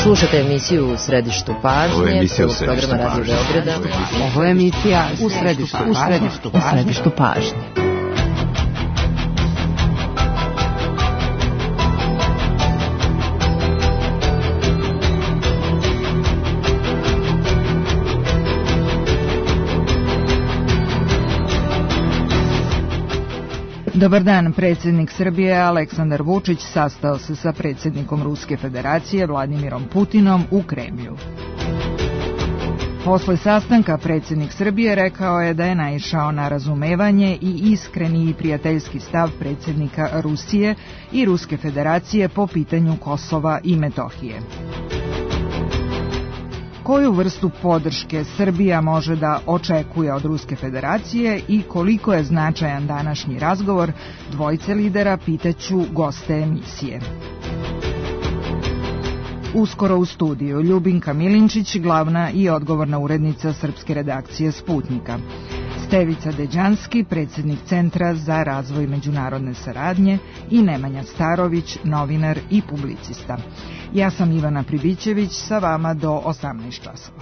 Slušate emisiju U središtu pažnje, prvog programa Radio Beograda. Ovo je emisija U središtu pažnje. Dobar dan, predsjednik Srbije Aleksandar Vučić sastao se sa predsjednikom Ruske federacije Vladimirom Putinom u Kremlju. Posle sastanka predsjednik Srbije rekao je da je naišao na razumevanje i iskreni i prijateljski stav predsjednika Rusije i Ruske federacije po pitanju Kosova i Metohije. Koju vrstu podrške Srbija može da očekuje od Ruske federacije i koliko je značajan današnji razgovor dvojice lidera, pitaću goste emisije. Uskoro u studiju Ljubinka Milinčić, glavna i odgovorna urednica srpske redakcije Sputnika. Stevica Deđanski, predsjednik Centra za razvoj međunarodne saradnje i Nemanja Starović, novinar i publicista. Ja sam Ivana Pribićević, sa vama do 18 časova.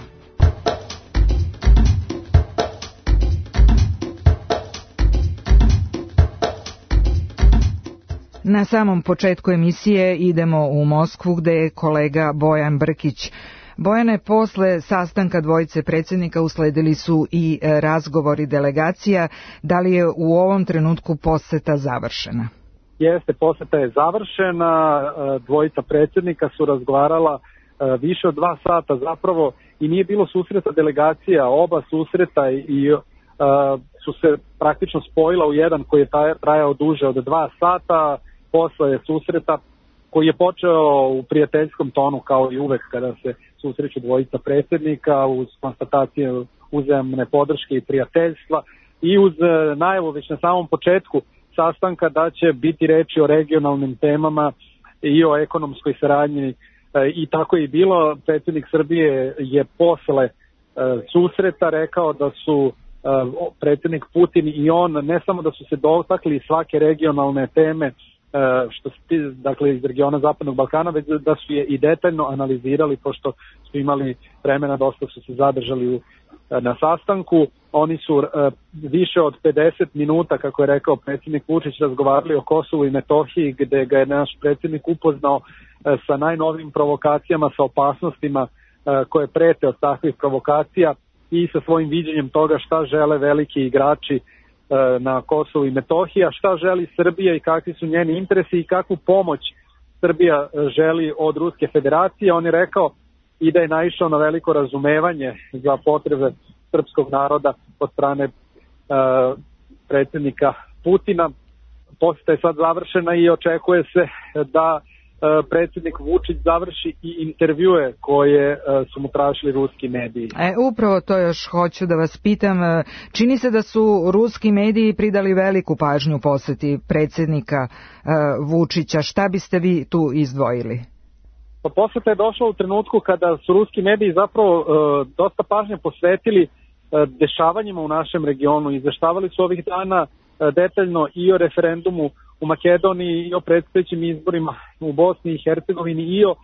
Na samom početku emisije idemo u Moskvu gde je kolega Bojan Brkić. Bojane, posle sastanka dvojice predsjednika usledili su i razgovori delegacija. Da li je u ovom trenutku poseta završena? Jeste, poseta je završena. Dvojica predsjednika su razgovarala više od 2 sata zapravo i nije bilo susreta delegacija. Oba susreta i su se praktično spojila u jedan koji je trajao duže od 2 sata. Posle susreta koji je počeo u prijateljskom tonu kao i uvek kada se susreću dvojica predsjednika uz konstatacije uzajamne podrške i prijateljstva i uz najavu već na samom početku sastanka da će biti reči o regionalnim temama i o ekonomskoj saradnji i tako je i bilo. Predsjednik Srbije je posle susreta rekao da su predsjednik Putin i on ne samo da su se dotakli svake regionalne teme što se dakle iz regiona Zapadnog Balkana, već da su je i detaljno analizirali, pošto su imali vremena, dosta su se zadržali na sastanku. Oni su više od 50 minuta, kako je rekao predsjednik Vučić, razgovarali o Kosovu i Metohiji, gde ga je naš predsjednik upoznao sa najnovijim provokacijama, sa opasnostima koje prete od takvih provokacija i sa svojim viđenjem toga šta žele veliki igrači na Kosovu i Metohiji, a šta želi Srbija i kakvi su njeni interesi i kakvu pomoć Srbija želi od Ruske federacije. On je rekao i da je naišao na veliko razumevanje za potrebe srpskog naroda od strane predsjednika Putina. Poseta je sad završena i očekuje se da predsjednik Vučić završi i intervjue koje su mu tražili ruski mediji. Upravo to još hoću da vas pitam. Čini se da su ruski mediji pridali veliku pažnju poseti predsjednika Vučića. Šta biste vi tu izdvojili? Pa poseta je došla u trenutku kada su ruski mediji zapravo dosta pažnje posvetili dešavanjima u našem regionu. Izveštavali su ovih dana detaljno i o referendumu u Makedoniji i o predstojećim izborima u Bosni i Hercegovini i o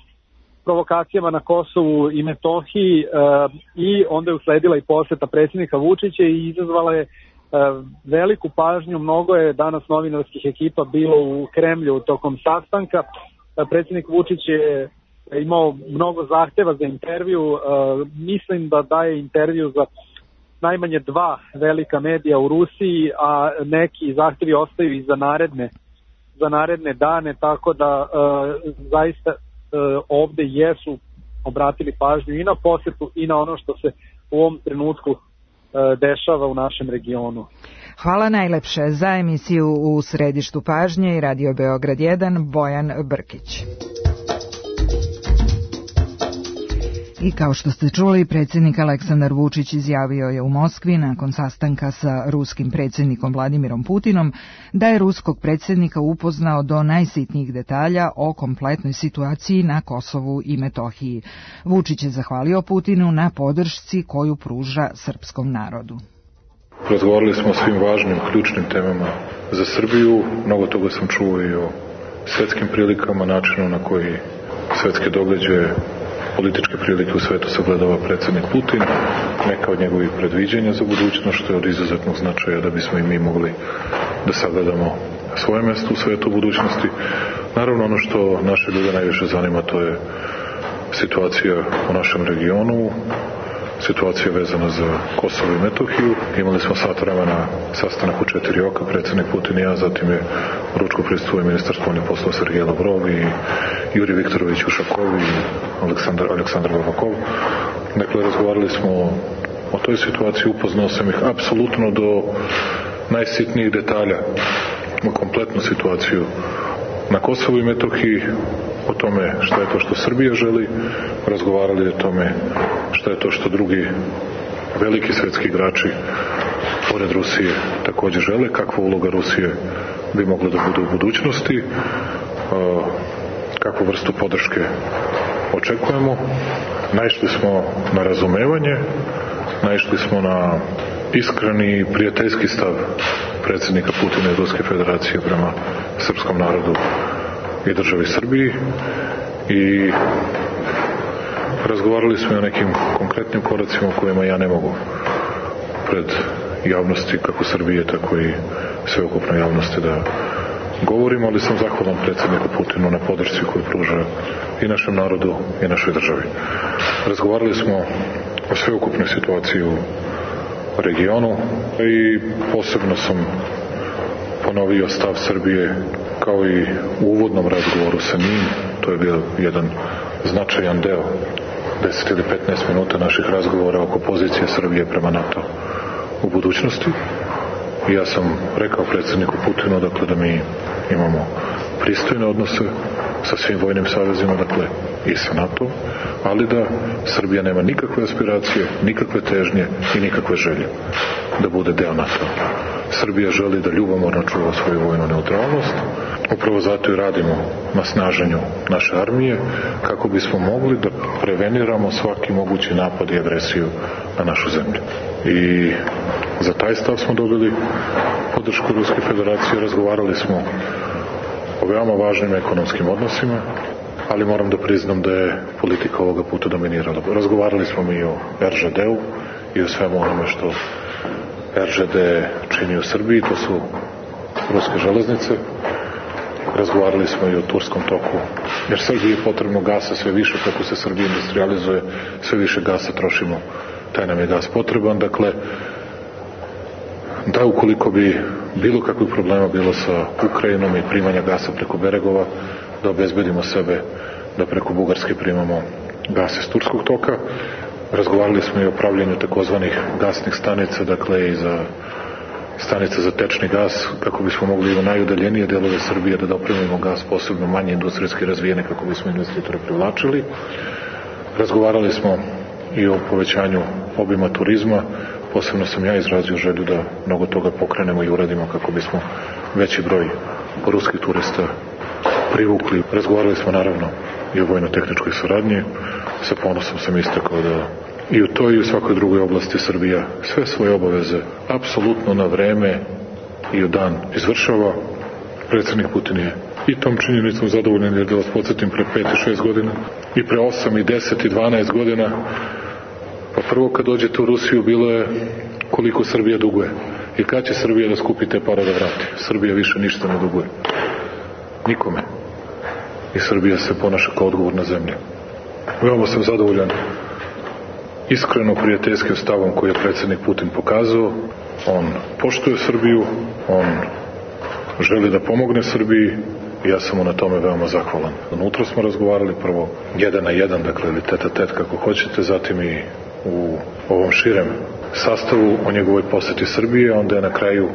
provokacijama na Kosovu i Metohiji i onda je usledila i poseta predsjednika Vučića i izazvala je veliku pažnju. Mnogo je danas novinarskih ekipa bilo u Kremlju tokom sastanka. Predsjednik Vučić je imao mnogo zahtjeva za intervju. Mislim da daje intervju za najmanje 2 velika medija u Rusiji, a neki zahtjevi ostaju i za naredne dane, tako da zaista ovde jesu obratili pažnju i na posetu i na ono što se u ovom trenutku dešava u našem regionu. Hvala najlepše. Za emisiju U središtu pažnje i Radio Beograd 1, Bojan Brkić. I kao što ste čuli, predsjednik Aleksandar Vučić izjavio je u Moskvi nakon sastanka sa ruskim predsjednikom Vladimirom Putinom da je ruskog predsjednika upoznao do najsitnijih detalja o kompletnoj situaciji na Kosovu i Metohiji. Vučić je zahvalio Putinu na podršci koju pruža srpskom narodu. Razgovarali smo o svim važnim, ključnim temama za Srbiju. Mnogo toga sam čuo i o svetskim prilikama, načinu na koji svetske događaje političke prilike u svetu sagledava predsjednik Putin, neka od njegovih predviđanja za budućnost, što je od izuzetnog značaja da bismo i mi mogli da sagledamo svoje mjesto u svetu budućnosti. Naravno, ono što naše ljude najviše zanima, to je situacija u našem regionu, situacija vezana za Kosovo i Metohiju. Imali smo sat vremena sastanak u 4 oka, predsjednik Putin i ja, zatim je ručko prisustvovao ministar spoljnih poslova Sergej Lavrov i Jurij Viktorović Ušakov i Aleksandar Babakov. Dakle, razgovarali smo o toj situaciji, upoznao sam ih apsolutno do najsitnijih detalja u kompletnu situaciju na Kosovu i Metohiji, o tome šta je to što Srbija želi, razgovarali o tome šta je to što drugi veliki svjetski igrači pored Rusije također žele, kakva uloga Rusije bi mogla da bude u budućnosti, kakvu vrstu podrške očekujemo. Naišli smo na razumevanje, naišli smo na iskreni i prijateljski stav predsjednika Putina i Ruske federacije prema srpskom narodu i državi Srbiji i razgovarali smo i o nekim konkretnim koracima o kojima ja ne mogu pred javnosti kako Srbije, tako i sveukupnoj javnosti da govorim, ali sam zahvalan predsjedniku Putinu na podršci koju pruža i našem narodu i našoj državi. Razgovarali smo o sveukupnoj situaciji u regionu i posebno sam ponovio stav Srbije kao i u uvodnom razgovoru sa njim. To je bio jedan značajan deo 10 ili 15 minuta naših razgovora oko pozicije Srbije prema NATO u budućnosti. I ja sam rekao predsjedniku Putinu dakle da mi imamo pristojne odnose sa svim vojnim savezima, dakle i sa NATO, ali da Srbija nema nikakve aspiracije, nikakve težnje i nikakve želje da bude deo NATO. Srbija želi da ljubomorno čuva svoju vojnu neutralnost. Upravo zato i radimo na snaženju naše armije kako bismo mogli da preveniramo svaki mogući napad i agresiju na našu zemlju. I za taj stav smo dobili podršku Ruske federacije. Razgovarali smo o veoma važnim ekonomskim odnosima, ali moram da priznam da je politika ovoga puta dominirala. Razgovarali smo mi o RŽD-u i o svemu onome što RŽD čini u Srbiji, to su ruske železnice. Razgovarali smo i o Turskom toku, jer Srbiji je potrebno gasa sve više, kako se Srbija industrializuje, sve više gasa trošimo, taj nam je gas potreban. Dakle, da ukoliko bi bilo kakvih problema bilo sa Ukrajinom i primanja gasa preko Beregova, da obezbedimo sebe da preko Bugarske primamo gas iz Turskog toka. Razgovarali smo i o pravljenju takozvanih gasnih stanica, dakle i za stanice za tečni gas, kako bismo mogli u najudaljenije delove Srbije da dopremimo gas, posebno manje industrijski razvijene, kako bismo investitore privlačili. Razgovarali smo i o povećanju obima turizma. Posebno sam ja izrazio želju da mnogo toga pokrenemo i uradimo kako bismo veći broj ruskih turista privukli. Razgovarali smo naravno i o vojno-tehničkoj saradnji. Sa ponosom sam istakao da i u toj i u svakoj drugoj oblasti Srbija sve svoje obaveze apsolutno na vreme i u dan izvršava. Predsjednik Putin je i tom činjenicom zadovoljan, jer da vas podsjetim, pre 5 i 6 godina i pre 8 i 10 i 12 godina, pa prvo kad dođete u Rusiju bilo je koliko Srbija duguje i kad će Srbija da skupi te pare da vrati. Srbija više ništa ne duguje nikome i Srbija se ponaša kao odgovorna zemlja. Veoma sam zadovoljan iskreno prijateljskim stavom koji je predsjednik Putin pokazao. On poštuje Srbiju, on želi da pomogne Srbiji i ja sam mu na tome veoma zahvalan. Unutra smo razgovarali prvo 1 na 1, dakle ili tet a tet kako hoćete, zatim i u ovom širem sastavu o njegovoj poseti Srbije. Onda je na kraju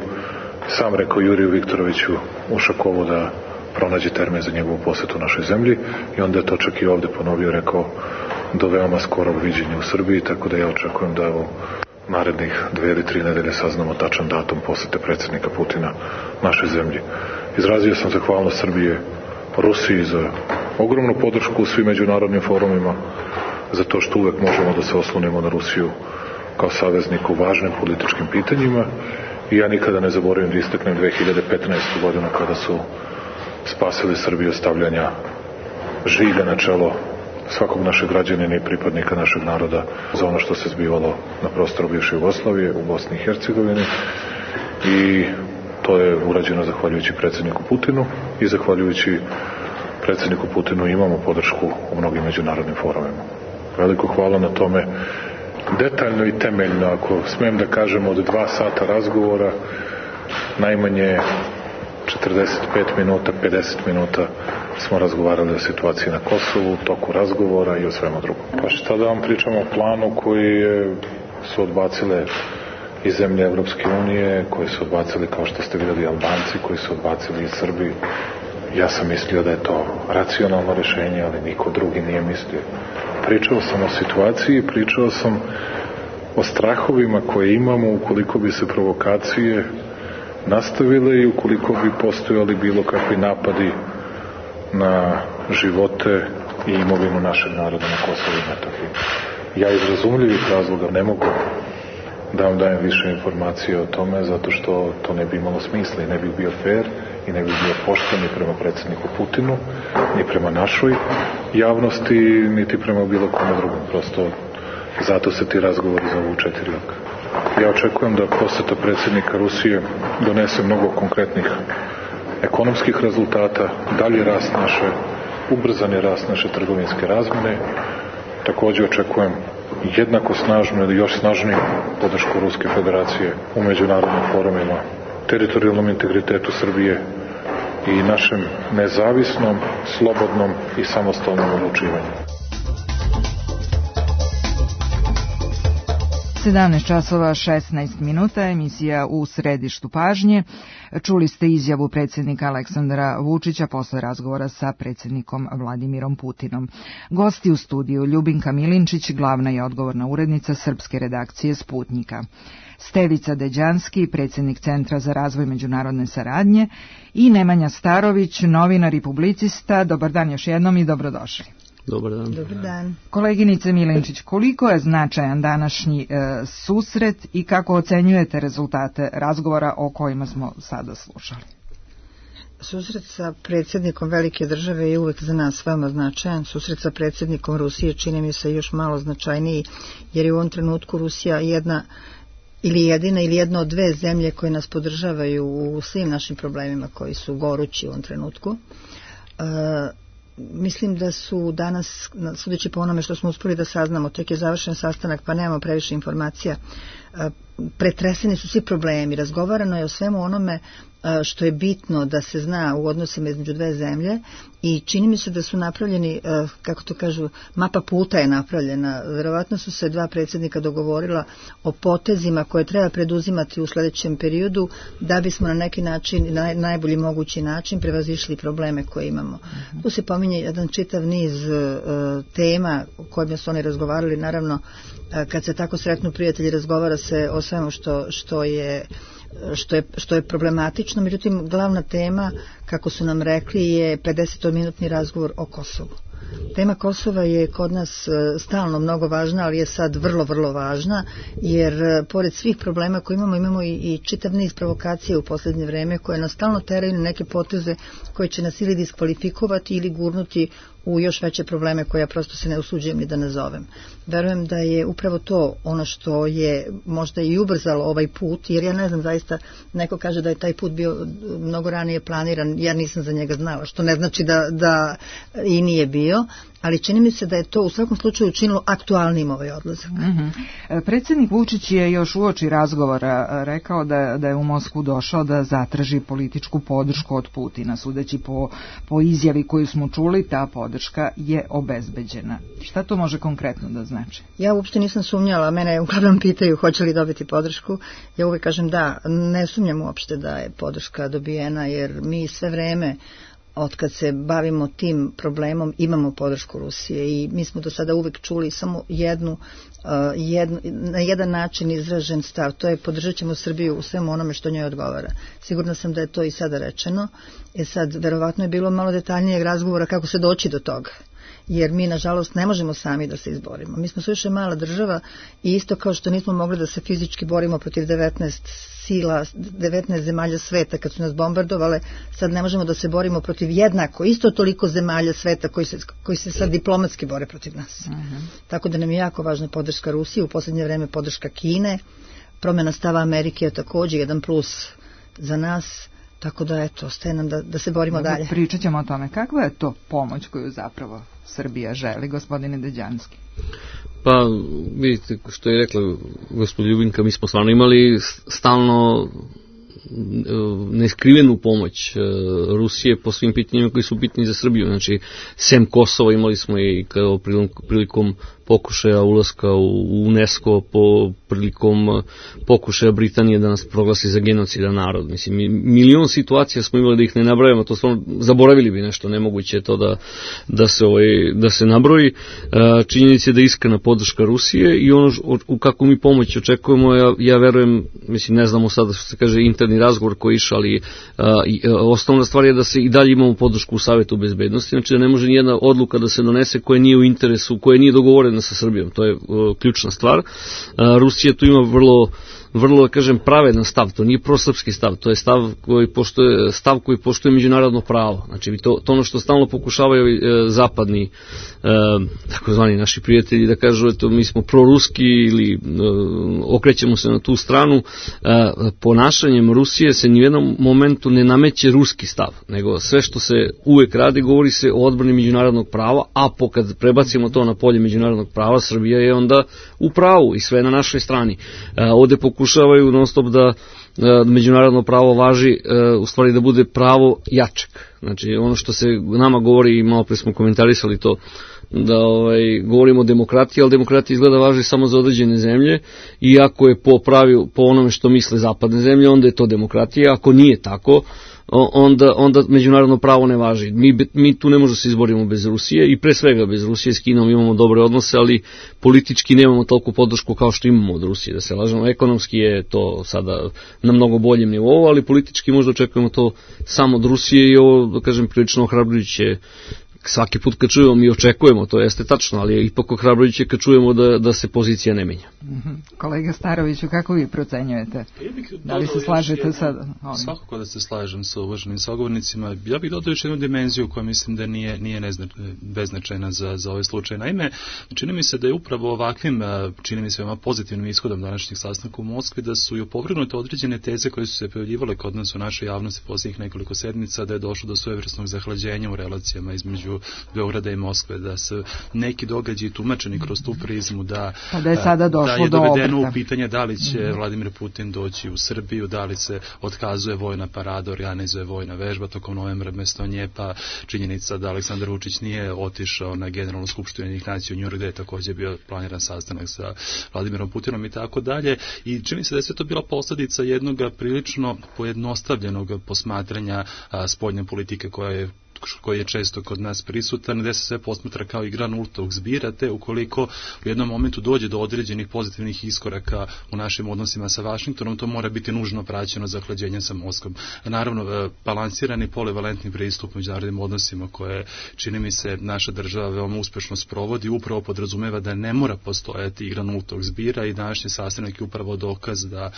sam rekao Juriju Viktoroviću Ušakovu da pronađe termin za njegovu posetu našoj zemlji i onda je to čak i ovde ponovio, rekao do veoma skorog viđenja u Srbiji, tako da ja očekujem da u narednih 2 ili 3 nedelje saznamo tačan datum posete predsjednika Putina našoj zemlji. Izrazio sam zahvalnost Srbije Rusiji za ogromnu podršku u svim međunarodnim forumima, za to što uvek možemo da se oslonimo na Rusiju kao saveznik u važnim političkim pitanjima i ja nikada ne zaboravim da istaknem 2015. godinu kada su spasili Srbiju stavljanja žiga na čelo svakog našeg građanina i pripadnika našeg naroda za ono što se zbivalo na prostoru bivše Jugoslavije u Bosni i Hercegovini, i to je urađeno zahvaljujući predsjedniku Putinu i zahvaljujući predsjedniku Putinu imamo podršku u mnogim međunarodnim forumima. Veliko hvala na tome. Detaljno i temeljno, ako smijem da kažem, od 2 sata razgovora najmanje 45 minuta, 50 minuta smo razgovarali o situaciji na Kosovu, toku razgovora i o svemu drugom. Pa šta da vam pričamo o planu koji su odbacile i zemlje Evropske unije, koji su odbacili, kao što ste vidjeli, Albanci, koji su odbacili i Srbi. Ja sam mislio da je to racionalno rješenje, ali niko drugi nije mislio. Pričao sam o situaciji, pričao sam o strahovima koje imamo ukoliko bi se provokacije nastavile i ukoliko bi postojali bilo kakvi napadi na živote i imovinu našeg naroda na Kosovu i Metohiji. Ja iz razumljivih razloga ne mogu da vam dajem više informacije o tome, zato što to ne bi imalo smisla i ne bi bio fair i ne bi bio pošten ni prema predsjedniku Putinu, ni prema našoj javnosti, niti prema bilo kome drugom. Prosto zato se ti razgovori zovu 4 oka. Ja očekujem da poseta predsjednika Rusije donese mnogo konkretnih ekonomskih rezultata, dalji rast naše, ubrzani rast naše trgovinske razmjene. Također očekujem jednako snažnu ili još snažniju podršku Ruske federacije u međunarodnim forumima, teritorijalnom integritetu Srbije i našem nezavisnom, slobodnom i samostalnom odlučivanju. 17 časova 16 minuta, emisija U središtu pažnje. Čuli ste izjavu predsjednika Aleksandra Vučića posle razgovora sa predsjednikom Vladimirom Putinom. Gosti u studiju: Ljubinka Milinčić, glavna i odgovorna urednica srpske redakcije Sputnjika; Stevica Deđanski, predsjednik Centra za razvoj međunarodne saradnje; i Nemanja Starović, novinar i publicista. Dobar dan još jednom i dobrodošli. Dobar dan. Dobar dan. Koleginice Milinčić, koliko je značajan današnji susret i kako ocenjujete rezultate razgovora o kojima smo sada slušali? Susret sa predsjednikom velike države je uvek za nas veoma značajan. Susret sa predsjednikom Rusije čini mi se još malo značajniji, jer je u ovom trenutku Rusija jedna ili jedina ili jedna od 2 zemlje koje nas podržavaju u svim našim problemima koji su gorući u ovom trenutku. Mislim da su danas, sudeći po onome što smo uspeli da saznamo, tek je završen sastanak pa nemamo previše informacija, pretreseni su svi problemi, razgovarano je o svemu onome što je bitno da se zna u odnosima između 2 zemlje i čini mi se da su napravljeni, kako to kažu, mapa puta je napravljena. Verovatno su se 2 predsjednika dogovorila o potezima koje treba preduzimati u sljedećem periodu da bismo na neki način, na najbolji mogući način prevazišli probleme koje imamo. Tu se pominje jedan čitav niz tema o kojima su oni razgovarali. Naravno, kad se tako sretnu prijatelji, razgovara se o svemu što je problematično, međutim glavna tema, kako su nam rekli, je 50-minutni razgovor o Kosovu. Tema Kosova je kod nas stalno mnogo važna, ali je sad vrlo, vrlo važna, jer pored svih problema koje imamo i čitav niz provokacije u posljednje vreme koje nas stalno teraju na neke poteze koje će nas ili diskvalifikovati ili gurnuti u još veće probleme koje ja prosto se ne usuđujem ni da nazovem. Verujem da je upravo to ono što je možda i ubrzalo ovaj put, jer ja ne znam, zaista neko kaže da je taj put bio mnogo ranije planiran, ja nisam za njega znala, što ne znači da i nije bio, ali čini mi se da je to u svakom slučaju učinilo aktualnim ovaj odlazak. Predsjednik Vučić je još uoči razgovora rekao da je u Moskvu došao da zatraži političku podršku od Putina. Sudeći po izjavi koju smo čuli, ta podrška je obezbeđena. Šta to može konkretno da znači? Ja uopšte nisam sumnjala, mene uglavnom pitaju hoće li dobiti podršku. Ja uvijek kažem da, ne sumnjam uopšte da je podrška dobijena, jer mi sve vreme od kad se bavimo tim problemom imamo podršku Rusije i mi smo do sada uvijek čuli samo na jedan način izražen stav, to je podržat ćemo Srbiju u svemu onome što njoj odgovara. Sigurna sam da je to i sada rečeno. Sad, verovatno je bilo malo detaljnijeg razgovora kako se doći do toga. jer mi nažalost ne možemo sami da se izborimo. Mi smo suviše mala država i isto kao što nismo mogli da se fizički borimo protiv 19 zemalja sveta kad su nas bombardovale, sad ne možemo da se borimo protiv jednako, isto toliko zemalja sveta koji se sad diplomatski bore protiv nas. Tako da nam je jako važna podrška Rusije, u posljednje vreme podrška Kine, promjena stava Amerike je također jedan plus za nas, tako da eto, ostaje nam da se borimo dalje. Pričat ćemo o tome. Kakva je to pomoć koju zapravo Srbija želi, gospodine Deđanski? Pa, vidite, što je rekla gospođa Ljubinka, mi smo stvarno imali stalno neskrivenu pomoć Rusije po svim pitanjima koji su bitni za Srbiju. Znači, sem Kosova imali smo i kao prilikom pokušaja ulaska u UNESCO, prilikom pokušaja Britanije da nas proglasi za genocidan narod. Mislim, milion situacija smo imali da ih ne nabrajamo, to stvarno zaboravili bi nešto, nemoguće je to da se nabroji. Činjenica je da je iskrena podrška Rusije i ono u kakvu mi pomoć očekujemo, ja verujem, mislim, ne znamo sada što se kaže interni razgovor koji išao, ali osnovna stvar je da se i dalje imamo podršku u Savetu bezbednosti, znači da ne može nijedna odluka da se donese koja nije u interesu, koja nije dogovorena sa Srbijom, to je ključna stvar. Rusija tu ima vrlo, kažem, pravedan stav, to nije prosrpski stav, to je stav koji poštuje međunarodno pravo. Znači, to ono što stalno pokušavaju zapadni, takozvani naši prijatelji, da kažu, eto, mi smo proruski ili okrećemo se na tu stranu. Ponašanjem Rusije se ni u jednom momentu ne nameće ruski stav, nego sve što se uvek radi, govori se o odbrani međunarodnog prava, a kad prebacimo to na polje međunarodnog prava, Srbija je onda u pravu i sve na našoj strani. Ovde pokušavaju non stop da međunarodno pravo važi, u stvari da bude pravo jačeg. Znači, ono što se nama govori, i malo pre smo komentarisali to, da govorimo o demokratiji, ali demokratija izgleda važi samo za određene zemlje i ako je po onome što misle zapadne zemlje, onda je to demokratija. Ako nije tako, onda međunarodno pravo ne važi. Mi tu ne možemo se izborimo bez Rusije i pre svega bez Rusije. S Kinom imamo dobre odnose, ali politički nemamo toliko podršku kao što imamo od Rusije, da se lažemo. Ekonomski je to sada na mnogo boljem nivou, ali politički možda očekujemo to samo od Rusije i ovo, da kažem, prilično ohrabrujuće. Svaki put kad čujemo, mi očekujemo, to jeste tačno, ali je ipak ohrabrujuće kad čujemo da se pozicija ne menja. Kolega Staroviću, kako vi procenjujete? Da li se slažete sa ovim? Svakako da se slažem sa uvaženim sagovornicima. Ja bih dodao još jednu dimenziju koja mislim da nije beznačajna za ovaj slučaj. Naime, čini mi se da je upravo ovakvim, čini mi se veoma pozitivnim ishodom današnjeg sastanka u Moskvi, da su i opovrgnute određene teze koje su se pojavljivale kod nas u našoj javnosti posljednjih nekoliko sedmica, da je došlo do svojevrsnog zahlađenja u relacijama između Beograda i Moskve, da se neki događaji tumačeni kroz tu prizmu, da je sada došlo do dovedeno u pitanje da li će Vladimir Putin doći u Srbiju, da li se otkazuje vojna parada, organizuje vojna vežba tokom novembra mesto nje, pa činjenica da Aleksandar Vučić nije otišao na Generalnu skupštinu Ujedinjenih nacija u Njujorku, gde je također bio planiran sastanak sa Vladimirom Putinom i tako dalje. I čini se da je sve to bila posljedica jednog prilično pojednostavljenog posmatranja spoljne politike koji je često kod nas prisutan, gde se sve posmatra kao igra nultog zbira, te ukoliko u jednom momentu dođe do određenih pozitivnih iskoraka u našim odnosima sa Vašingtonom, to mora biti nužno praćeno zahlađenjem sa Moskvom. Naravno, balansirani polivalentni pristup međunarodnim odnosima koje, čini mi se, naša država veoma uspešno sprovodi, upravo podrazumeva da ne mora postojati igra nultog zbira i današnji sastanak je upravo dokaz da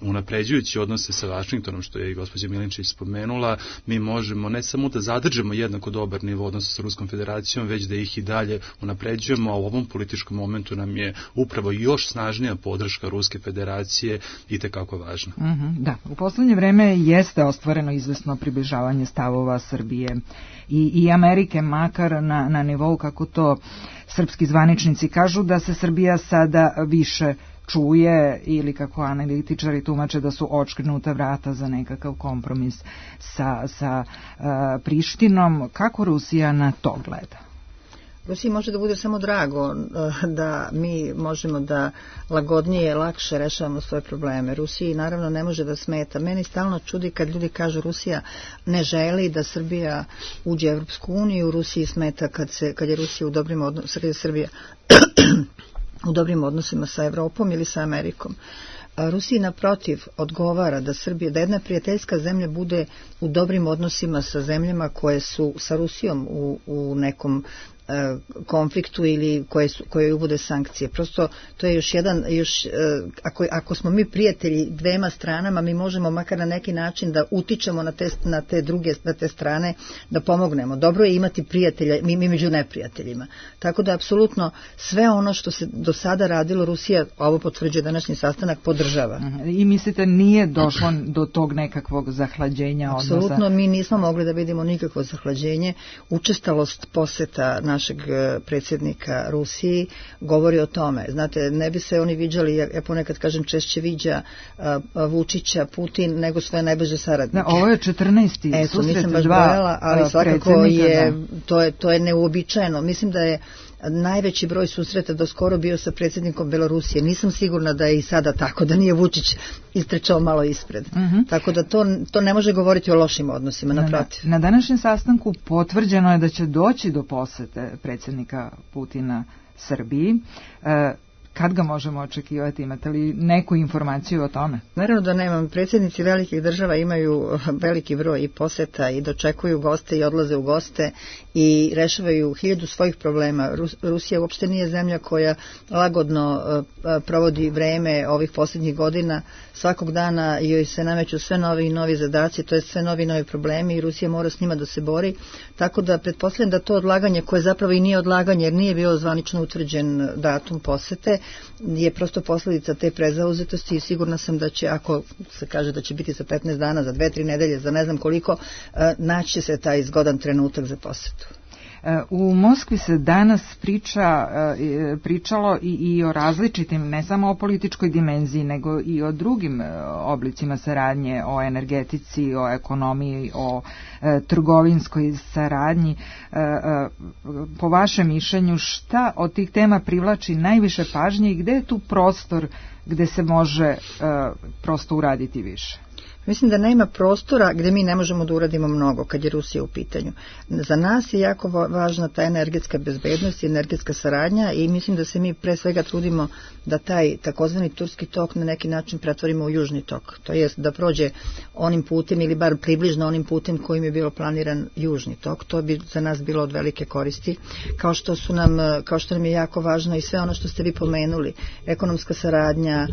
unapređujući odnose sa Vašingtonom, što je i gospođa Milinčić spomenula, mi možemo ne samo da zadržimo jednako dobar nivo odnosa sa Ruskom federacijom, već da ih i dalje unapređujemo, a u ovom političkom momentu nam je upravo još snažnija podrška Ruske federacije i tekako važna. Da, u poslednje vreme jeste ostvareno izvesno približavanje stavova Srbije i Amerike, makar na nivou, kako to srpski zvaničnici kažu, da se Srbija sada više čuje ili, kako analitičari tumače, da su očkrenuta vrata za nekakav kompromis sa Prištinom. Kako Rusija na to gleda? Rusiji može da bude samo drago da mi možemo da lagodnije, lakše rešavamo svoje probleme. Rusiji naravno ne može da smeta. Meni stalno čudi kad ljudi kažu Rusija ne želi da Srbija uđe u Evropsku uniju, Rusiji smeta kad je Rusija u dobrim odnosima, kad je Srbija u dobrim odnosima sa Evropom ili sa Amerikom. Rusiji naprotiv odgovara da Srbija, da jedna prijateljska zemlja bude u dobrim odnosima sa zemljama koje su sa Rusijom u nekom konfliktu ili koje uvode sankcije. Prosto to je ako smo mi prijatelji dvema stranama, mi možemo makar na neki način da utičemo na te strane, da pomognemo. Dobro je imati prijatelja, mi među neprijateljima. Tako da apsolutno sve ono što se do sada radilo, Rusija, ovo potvrđuje današnji sastanak, podržava. I mislite nije došlo do tog nekakvog zahlađenja odnosa? Apsolutno, mi nismo mogli da vidimo nikakvo zahlađenje. Učestalost poseta našeg predsjednika Rusiji govori o tome. Znate, ne bi se oni viđali, ja ponekad kažem češće viđa Vučića Putin nego svoje najbliže saradnike. Ovo je 14. susret dva ali svakako to je neuobičajeno. Mislim da je najveći broj susreta do skoro bio sa predsjednikom Belorusije. Nisam sigurna da je i sada tako, da nije Vučić istrčao malo ispred. Tako da to ne može govoriti o lošim odnosima, naprotiv. Na današnjem sastanku potvrđeno je da će doći do posete predsjednika Putina Srbiji. Kad ga možemo očekivati? Imate li neku informaciju o tome? Naravno da nemam. Predsjednici velikih država imaju veliki broj i poseta i dočekuju goste i odlaze u goste i rešavaju 1000 svojih problema. Rusija uopšte nije zemlja koja lagodno provodi vreme ovih posljednjih godina. Svakog dana joj se nameću sve novi i novi zadaci, to je sve novi i novi problemi i Rusija mora s njima da se bori. Tako da pretpostavljam da to odlaganje, koje zapravo i nije odlaganje jer nije bio zvanično utvrđen datum posete, je prosto posljedica te prezauzetosti i sigurna sam da će, ako se kaže da će biti za 15 dana, za 2-3 nedelje, za ne znam koliko, naći se taj zgodan trenutak za posetu. U Moskvi se danas pričalo i o različitim, ne samo o političkoj dimenziji, nego i o drugim oblicima saradnje, o energetici, o ekonomiji, o trgovinskoj saradnji. Po vašem mišljenju, šta od tih tema privlači najviše pažnje i gde je tu prostor gde se može prosto uraditi više? Mislim da nema prostora gdje mi ne možemo da uradimo mnogo kad je Rusija u pitanju. Za nas je jako važna ta energetska bezbednost i energetska saradnja i mislim da se mi pre svega trudimo da taj takozvani turski tok na neki način pretvorimo u južni tok. To jest da prođe onim putem ili bar približno onim putem kojim je bilo planiran južni tok. To bi za nas bilo od velike koristi. Kao što nam je jako važno i sve ono što ste vi pomenuli. Ekonomska saradnja,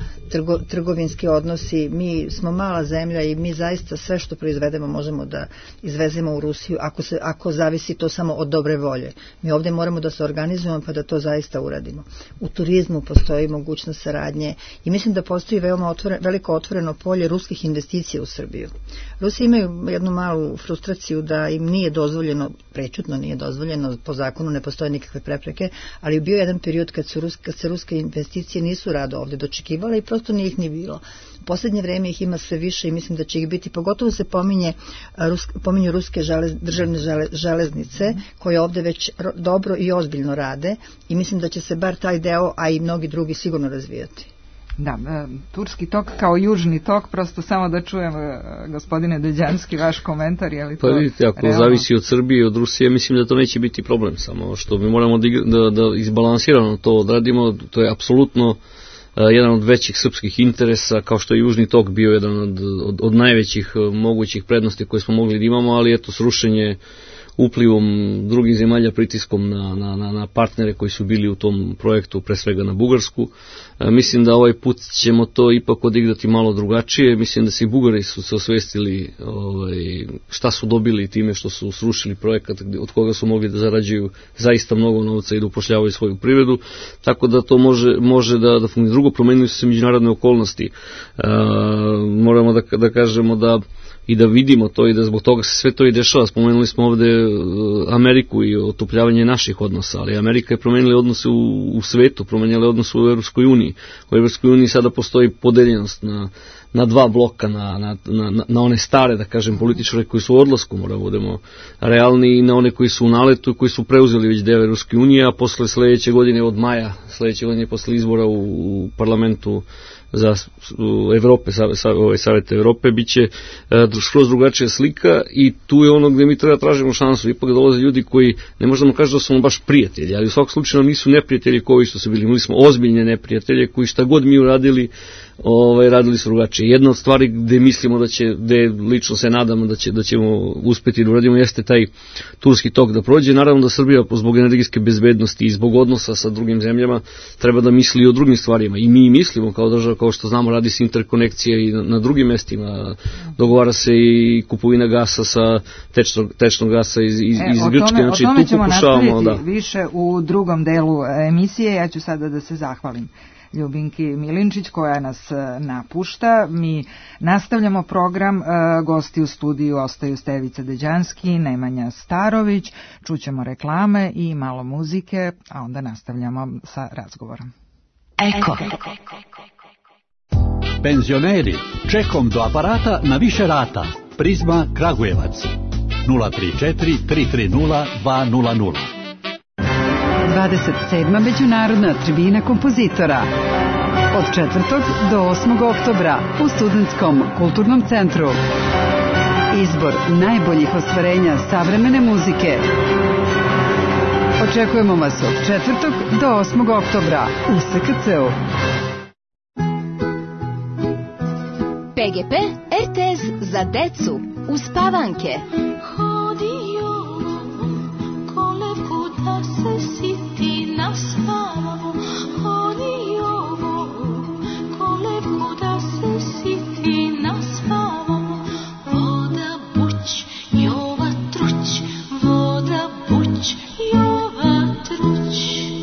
trgovinski odnosi. Mi smo mala zemlja i mi zaista sve što proizvedemo možemo da izvezemo u Rusiju ako zavisi to samo od dobre volje. Mi ovdje moramo da se organizujemo pa da to zaista uradimo. U turizmu postoji mogućnost saradnje i mislim da postoji veoma veliko otvoreno polje ruskih investicija u Srbiju. Rusi imaju jednu malu frustraciju da im nije dozvoljeno, prećutno nije dozvoljeno, po zakonu ne postoje nikakve prepreke, ali bio je jedan period kad se ruske investicije nisu rado ovdje dočekivale i prosto nije ih ni bilo. U posljednje vrijeme ih ima sve više i mislim da će ih biti, pogotovo se pominju ruske državne železnice koje ovdje već dobro i ozbiljno rade i mislim da će se bar taj deo, a i mnogi drugi sigurno razvijati. Da, turski tok kao južni tok, prosto samo da čujem, gospodine Deđanski, vaš komentar, je li to... Pa vidite, ako realno zavisi od Srbije i od Rusije, mislim da to neće biti problem, samo što mi moramo da izbalansirano to odradimo, to je apsolutno jedan od većih srpskih interesa, kao što je južni tok bio jedan od najvećih mogućih prednosti koje smo mogli da imamo, ali eto srušenje uplivom drugih zemalja, pritiskom na partnere koji su bili u tom projektu, pre svega na Bugarsku. Mislim da ovaj put ćemo to ipak odigrati malo drugačije. Mislim da se i Bugari su se osvestili šta su dobili time što su srušili projekat od koga su mogli da zarađuju zaista mnogo novca i da upošljavaju svoju privredu, tako da to može da funkcionira. Drugo, promenili su se međunarodne okolnosti. Moramo da kažemo da i da vidimo to i da zbog toga se sve to i dešava. Spomenuli smo ovde Ameriku i otopljavanje naših odnosa, ali Amerika je promenila odnose u svetu, promenila odnose u Evropskoj uniji. U Evropskoj uniji sada postoji podeljenost na dva bloka, na one stare, da kažem, političare koji su u odlasku, moramo budemo realni, i na one koji su u naletu i koji su preuzeli već deo Evropske unije, a posle sledeće godine, od maja sledeće godine, posle izbora u parlamentu za Evrope, Savete Evrope, bit će skroz drugačija slika i tu je ono gde mi treba tražimo šansu. Ipak dolaze ljudi koji, ne možemo kažem da su baš prijatelji, ali u svakom slučaju nisu neprijatelji koji što su bili. Imali smo ozbiljne neprijatelje koji šta god mi uradili, radili su drugačije. Znači, jedna od stvari gde mislimo gde lično se nadamo da ćemo uspeti da uradimo jeste taj Turski tok da prođe. Naravno da Srbija zbog energetske bezbednosti i zbog odnosa sa drugim zemljama treba da misli i o drugim stvarima. I mi mislimo kao država, kao što znamo, radi se interkonekcija i na drugim mestima. Dogovara se i kupovina gasa sa tečnog gasa iz Grčke. Znači, o tome ćemo nastaviti više u drugom delu emisije. Ja ću sada da se zahvalim Ljubinki Milinčić koja nas napušta. Mi nastavljamo program. Gosti u studiju ostaju Stevica Deđanski, Nemanja Starović. Čućemo reklame i malo muzike, a onda nastavljamo sa razgovorom. Eko. Penzioneri, čekom do aparata na više rata. Prizma Kragujevac 034 330 200. 27. međunarodna tribina kompozitora od 4. do 8. oktobra u Studentskom kulturnom centru. Izbor najboljih ostvarenja savremene muzike. Očekujemo vas od 4. do 8. oktobra u SKC-u. PGP RTS za decu uz Pavanke.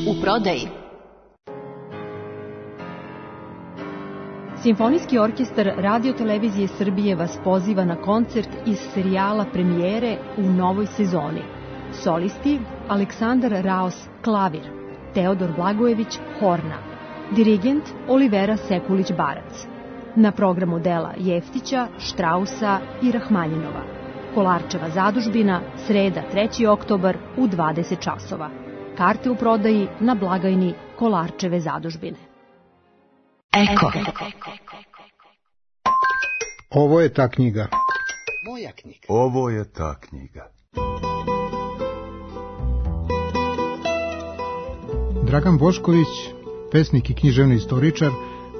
U prodaji. Simfonijski orkestar Radio-televizije Srbije vas poziva na koncert iz serijala premijere u novoj sezoni. Solisti Aleksandar Raos klavir, Teodor Blagojević horna, dirigent Olivera Sekulić-Barac. Na programu dela Jeftića, Štrausa i Rahmanjinova. Kolarčeva zadužbina, sreda 3. oktobar u 20 časova. Karte u prodaji na blagajni Kolarčeve zadužbine. Eko. Ovo je ta knjiga. Moja knjiga. Ovo je ta knjiga. Dragan Bošković, pesnik i književni istoričar,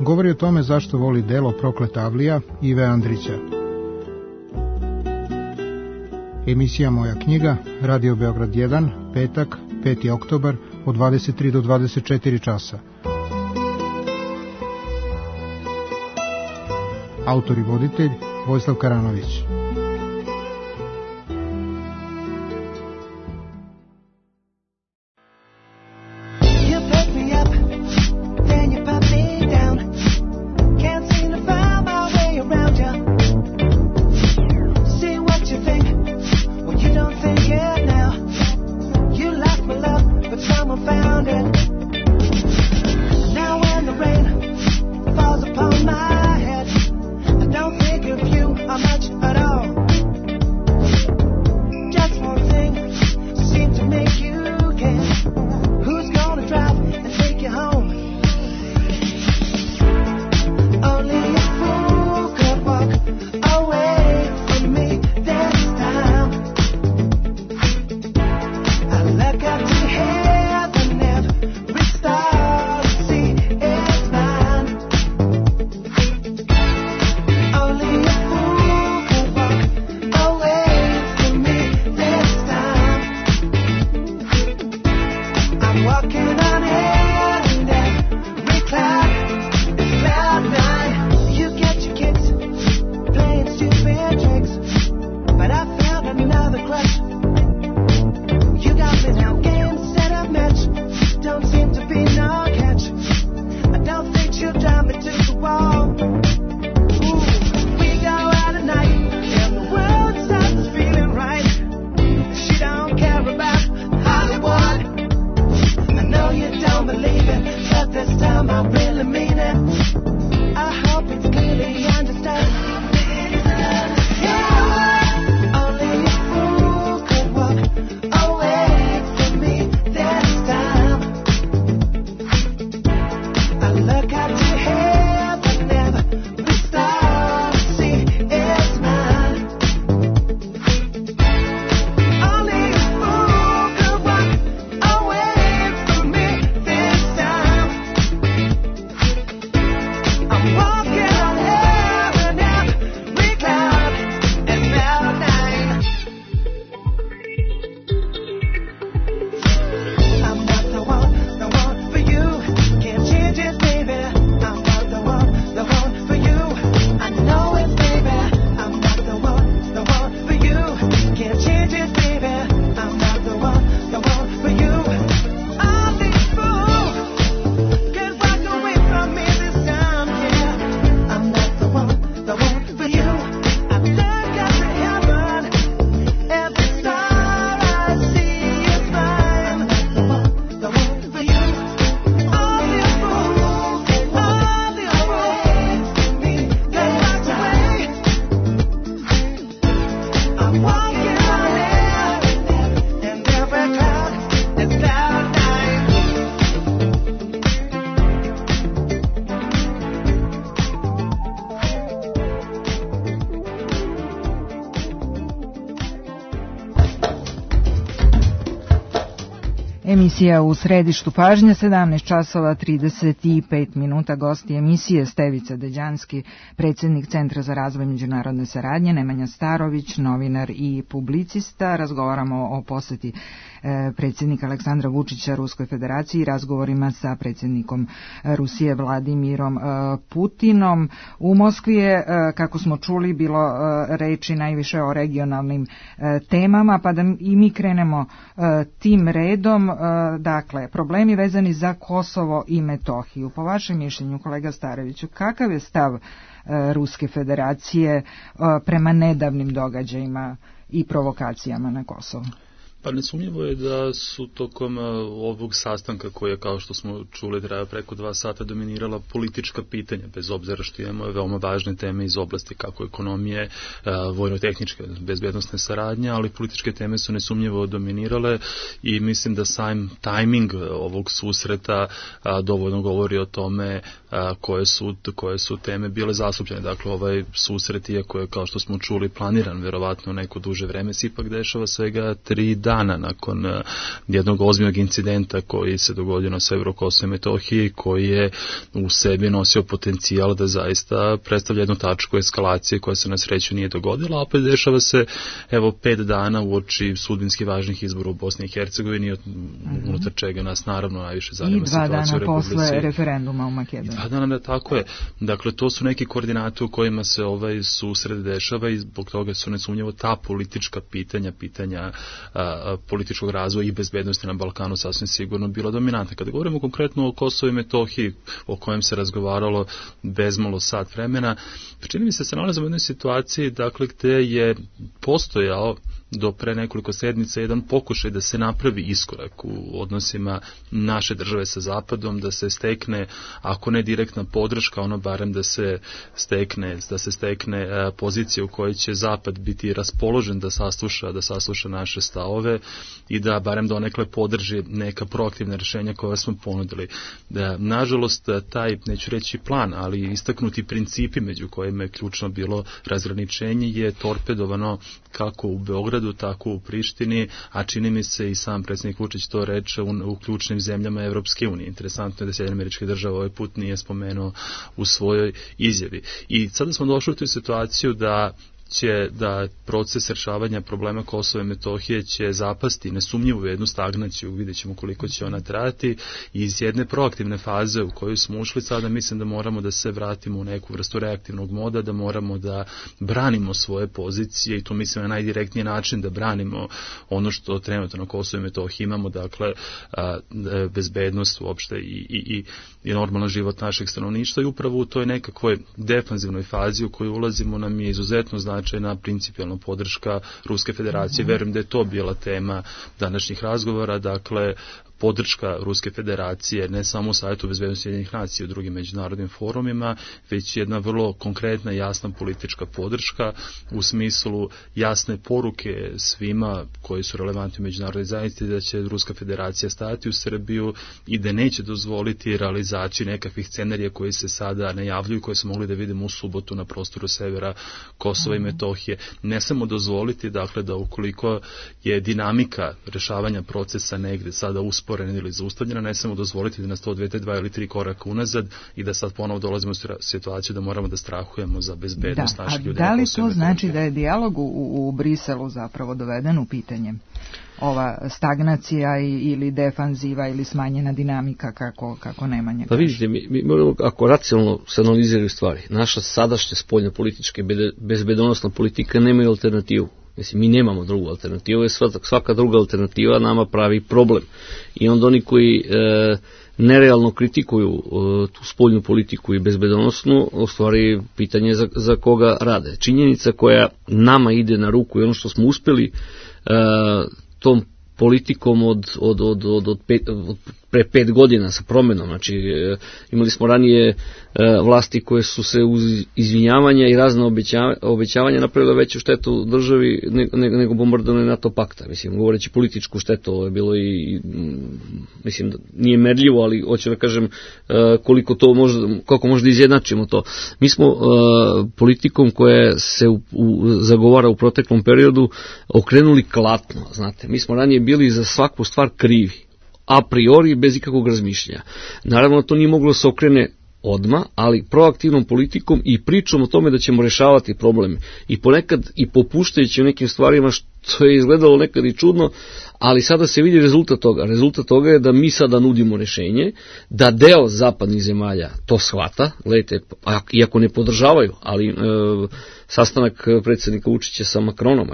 govori o tome zašto voli delo Prokleta Avlija Ive Andrića. Emisija Moja knjiga, Radio Beograd 1, petak, 5. oktobar, od 23 do 24 časa. Autor i voditelj Vojislav Karanović. Much at all. Emisija u središtu pažnje, 17 časova 35 minuta. Gosti emisije Stevica Deđanski, predsjednik Centra za razvoj međunarodne saradnje, Nemanja Starović, novinar i publicista. Razgovaramo o posjeti predsjednika Aleksandra Vučića Ruskoj federaciji i razgovorima sa predsjednikom Rusije Vladimirom Putinom. U Moskvi je, kako smo čuli, bilo reči najviše o regionalnim temama, pa da i mi krenemo tim redom. Dakle, problemi vezani za Kosovo i Metohiju. Po vašem mišljenju, kolega Stareviću, kakav je stav Ruske federacije prema nedavnim događajima i provokacijama na Kosovu? Pa nesumnjivo je da su tokom ovog sastanka koje, kao što smo čuli, traja preko 2 sata, dominirala politička pitanja, bez obzira što imamo veoma važne teme iz oblasti kako ekonomije, vojno-tehničke, bezbednosne saradnje, ali političke teme su nesumnjivo dominirale i mislim da sam tajming ovog susreta dovoljno govori o tome koje su teme bile zastupljene. Dakle, ovaj susret, iako je, kao što smo čuli, planiran verovatno neko duže vreme, se ipak dešava svega 3 dana nakon jednog ozbiljnog incidenta koji se dogodio na severu Kosova i Metohiji, koji je u sebi nosio potencijal da zaista predstavlja jednu tačku eskalacije koja se na sreću nije dogodila, a opet dešava se 5 dana uoči sudbinski važnih izbora u Bosni i Hercegovini, unutar čega nas naravno najviše zanima situacija u Republici. I 2 dana posle referenduma u Makedoniji. 2 dana, tako je. Dakle, to su neki koordinati u kojima se ovaj susret dešava i zbog toga su nesumnjivo ta politička pitanja političkog razvoja i bezbednosti na Balkanu sasvim sigurno bila dominantna. Kada govorimo konkretno o Kosovu i Metohiji, o kojem se razgovaralo bezmalo sat vremena, čini mi se nalazimo u jednoj situaciji, dakle, gde je postojao do pre nekoliko sedmica jedan pokušaj da se napravi iskorak u odnosima naše države sa Zapadom, da se stekne, ako ne direktna podrška, ono barem da se stekne pozicija u kojoj će Zapad biti raspoložen da sasluša naše stavove i da barem donekle podrži neka proaktivna rješenja koja smo ponudili. Nažalost, taj, neću reći plan, ali istaknuti principi među kojima je ključno bilo razgraničenje je torpedovano kako u Beogradu, tako u Prištini, a čini mi se i sam predsjednik Vučić to reče u ključnim zemljama Evropske unije. Interesantno je da Sjedinjene Američke Države ovaj put nije spomenuo u svojoj izjavi. I sada smo došli u tu situaciju da proces rješavanja problema Kosova i Metohije će zapasti nesumnjivo u jednu stagnaciju, vidjet ćemo koliko će ona trajati, i iz jedne proaktivne faze u koju smo ušli sada mislim da moramo da se vratimo u neku vrstu reaktivnog moda, da moramo da branimo svoje pozicije i to mislim na najdirektniji način da branimo ono što trenutno na Kosovu i Metohiji imamo, dakle bezbednost uopšte i normalan život našeg stanovništva i upravo u toj nekakvoj defanzivnoj fazi u koju ulazimo nam je izuzetno značajna principijelna podrška Ruske federacije. Verujem da je to bila tema današnjih razgovora, dakle podrška Ruske federacije ne samo u Savjetu bezbednosti Ujedinjenih nacija i u drugim međunarodnim forumima, već jedna vrlo konkretna, jasna politička podrška u smislu jasne poruke svima koji su relevantni u međunarodnoj zajednici da će Ruska federacija stajati u Srbiju i da neće dozvoliti realizaciju nekakvih scenarija koji se sada najavljuju, koje smo mogli da vidimo u subotu na prostoru severa Kosova i Metohije. Ne samo dozvoliti, dakle, da ukoliko je dinamika rešavanja procesa negde sada usporena ili zaustavljena, ne samo dozvoliti da nas to odvede 2 ili 3 koraka unazad i da sad ponovo dolazimo u situaciju da moramo da strahujemo za bezbednost naših ljudi. Da li to znači da je dijalog u Briselu zapravo doveden u pitanje? Ova stagnacija ili defanziva ili smanjena dinamika kako Nemanja kaže? Pa vidite, mi moramo, ako racionalno se analiziraju stvari, naša sadašnja spoljna politička bezbedonosna politika nemaju alternativu. Mislim, mi nemamo drugu alternativu, jer svaka druga alternativa nama pravi problem. I onda oni koji nerealno kritikuju tu spoljnu politiku i bezbedonosnu, u stvari pitanje za koga rade. Činjenica koja nama ide na ruku i ono što smo uspjeli tom politikom od pre 5 godina sa promjenom. Znači, imali smo ranije vlasti koje su se uz izvinjavanja i razne obećavanja napravile veću štetu državi nego bombardovanje NATO pakta. Mislim, govoreći političku štetu, ovo je bilo i mislim, nije merljivo, ali hoću da kažem koliko može da izjednačimo to. Mi smo politikom koja se zagovara u proteklom periodu okrenuli klatno, znate. Mi smo ranije bili za svaku stvar krivi. a priori bez ikakvog razmišljanja. Naravno, to nije moglo se okrene odmah, ali proaktivnom politikom i pričom o tome da ćemo rešavati probleme. I ponekad i popuštajući u nekim stvarima što je izgledalo nekad i čudno, ali sada se vidi rezultat toga. Rezultat toga je da mi sada nudimo rešenje, da deo zapadnih zemalja to shvata, gledajte, iako ne podržavaju, ali sastanak predsjednika Vučića sa Macronom,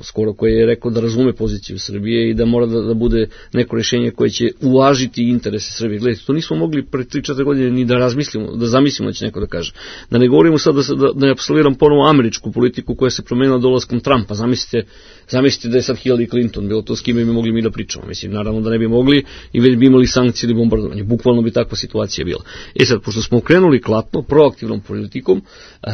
skoro koji je rekao da razume poziciju Srbije i da mora da bude neko rešenje koje će uvažiti interese Srbije. Gledajte, to nismo mogli pre 3-4 godine ni da razmislimo, da zamislimo da će neko da kaže. Da ne govorimo sad da ne apsoliram ponovo američku politiku koja se promenila dolaskom Trumpa. Zamislite da je sad Hillary Clinton, bilo to s kime bi mogli mi da pričamo. Mislim, naravno da ne bi mogli i već bi imali sankcije ili bombardovanje. Bukvalno bi takva situacija bila. Sad, pošto smo okrenuli klatno, proaktivnom politikom,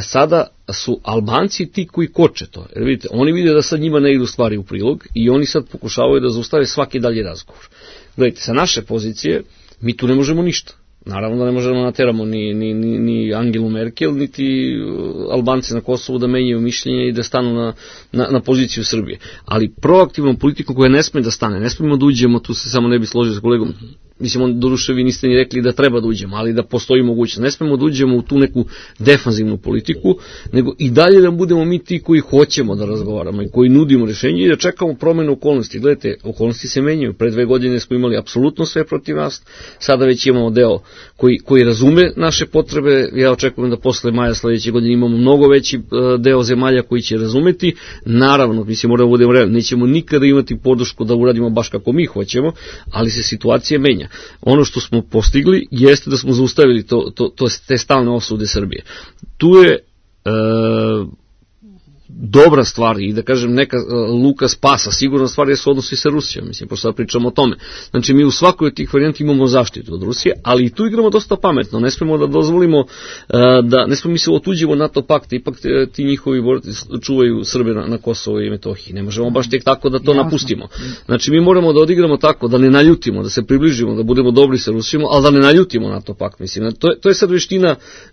sada su Albanci ti koji koče to. Jer vidite, oni vide da sad njima ne idu stvari u prilog i oni sad pokušavaju da zaustave svaki dalji razgovor. Gledajte, sa naše pozicije mi tu ne možemo ništa. Naravno da ne možemo nateramo ni Angelu Merkel, niti Albance na Kosovu da menjaju mišljenje i da stanu na poziciju Srbije. Ali proaktivnom politikom koja ne sme da stane, ne smemo da uđemo, tu se samo ne bi složio sa kolegom, mislim, doduše vi niste ni rekli da treba da uđemo, ali da postoji mogućnost. Ne smemo da uđemo u tu neku defanzivnu politiku, nego i dalje da budemo mi ti koji hoćemo da razgovaramo i koji nudimo rešenje i da čekamo promenu okolnosti. Gledajte, okolnosti se menjaju. Pre 2 godine smo imali apsolutno sve protiv nas, sada već imamo deo koji razume naše potrebe. Ja očekujem da posle maja sledeće godine imamo mnogo veći deo zemalja koji će razumeti. Naravno, mislim, moramo da budemo realni, nećemo nikada imati podršku da uradimo baš kako mi hoćemo, ali se situacija menja. Ono što smo postigli jeste da smo zaustavili te stalne osude Srbije. Tu je dobra stvar i da kažem neka luka spasa, sigurna stvar je su odnosi sa Rusijom, mislim, pošto sad pričamo o tome. Znači mi u svakoj od tih varijanta imamo zaštitu od Rusije, ali i tu igramo dosta pametno, ne smemo da dozvolimo ne smemo mi se otuđimo NATO pakt, ipak ti njihovi borci čuvaju Srbe na Kosovo i Metohiji, ne možemo baš tek tako da to napustimo. Znači mi moramo da odigramo tako, da ne naljutimo, da se približimo, da budemo dobri sa Rusijom, ali da ne naljutimo NATO pakt, mislim, to je sad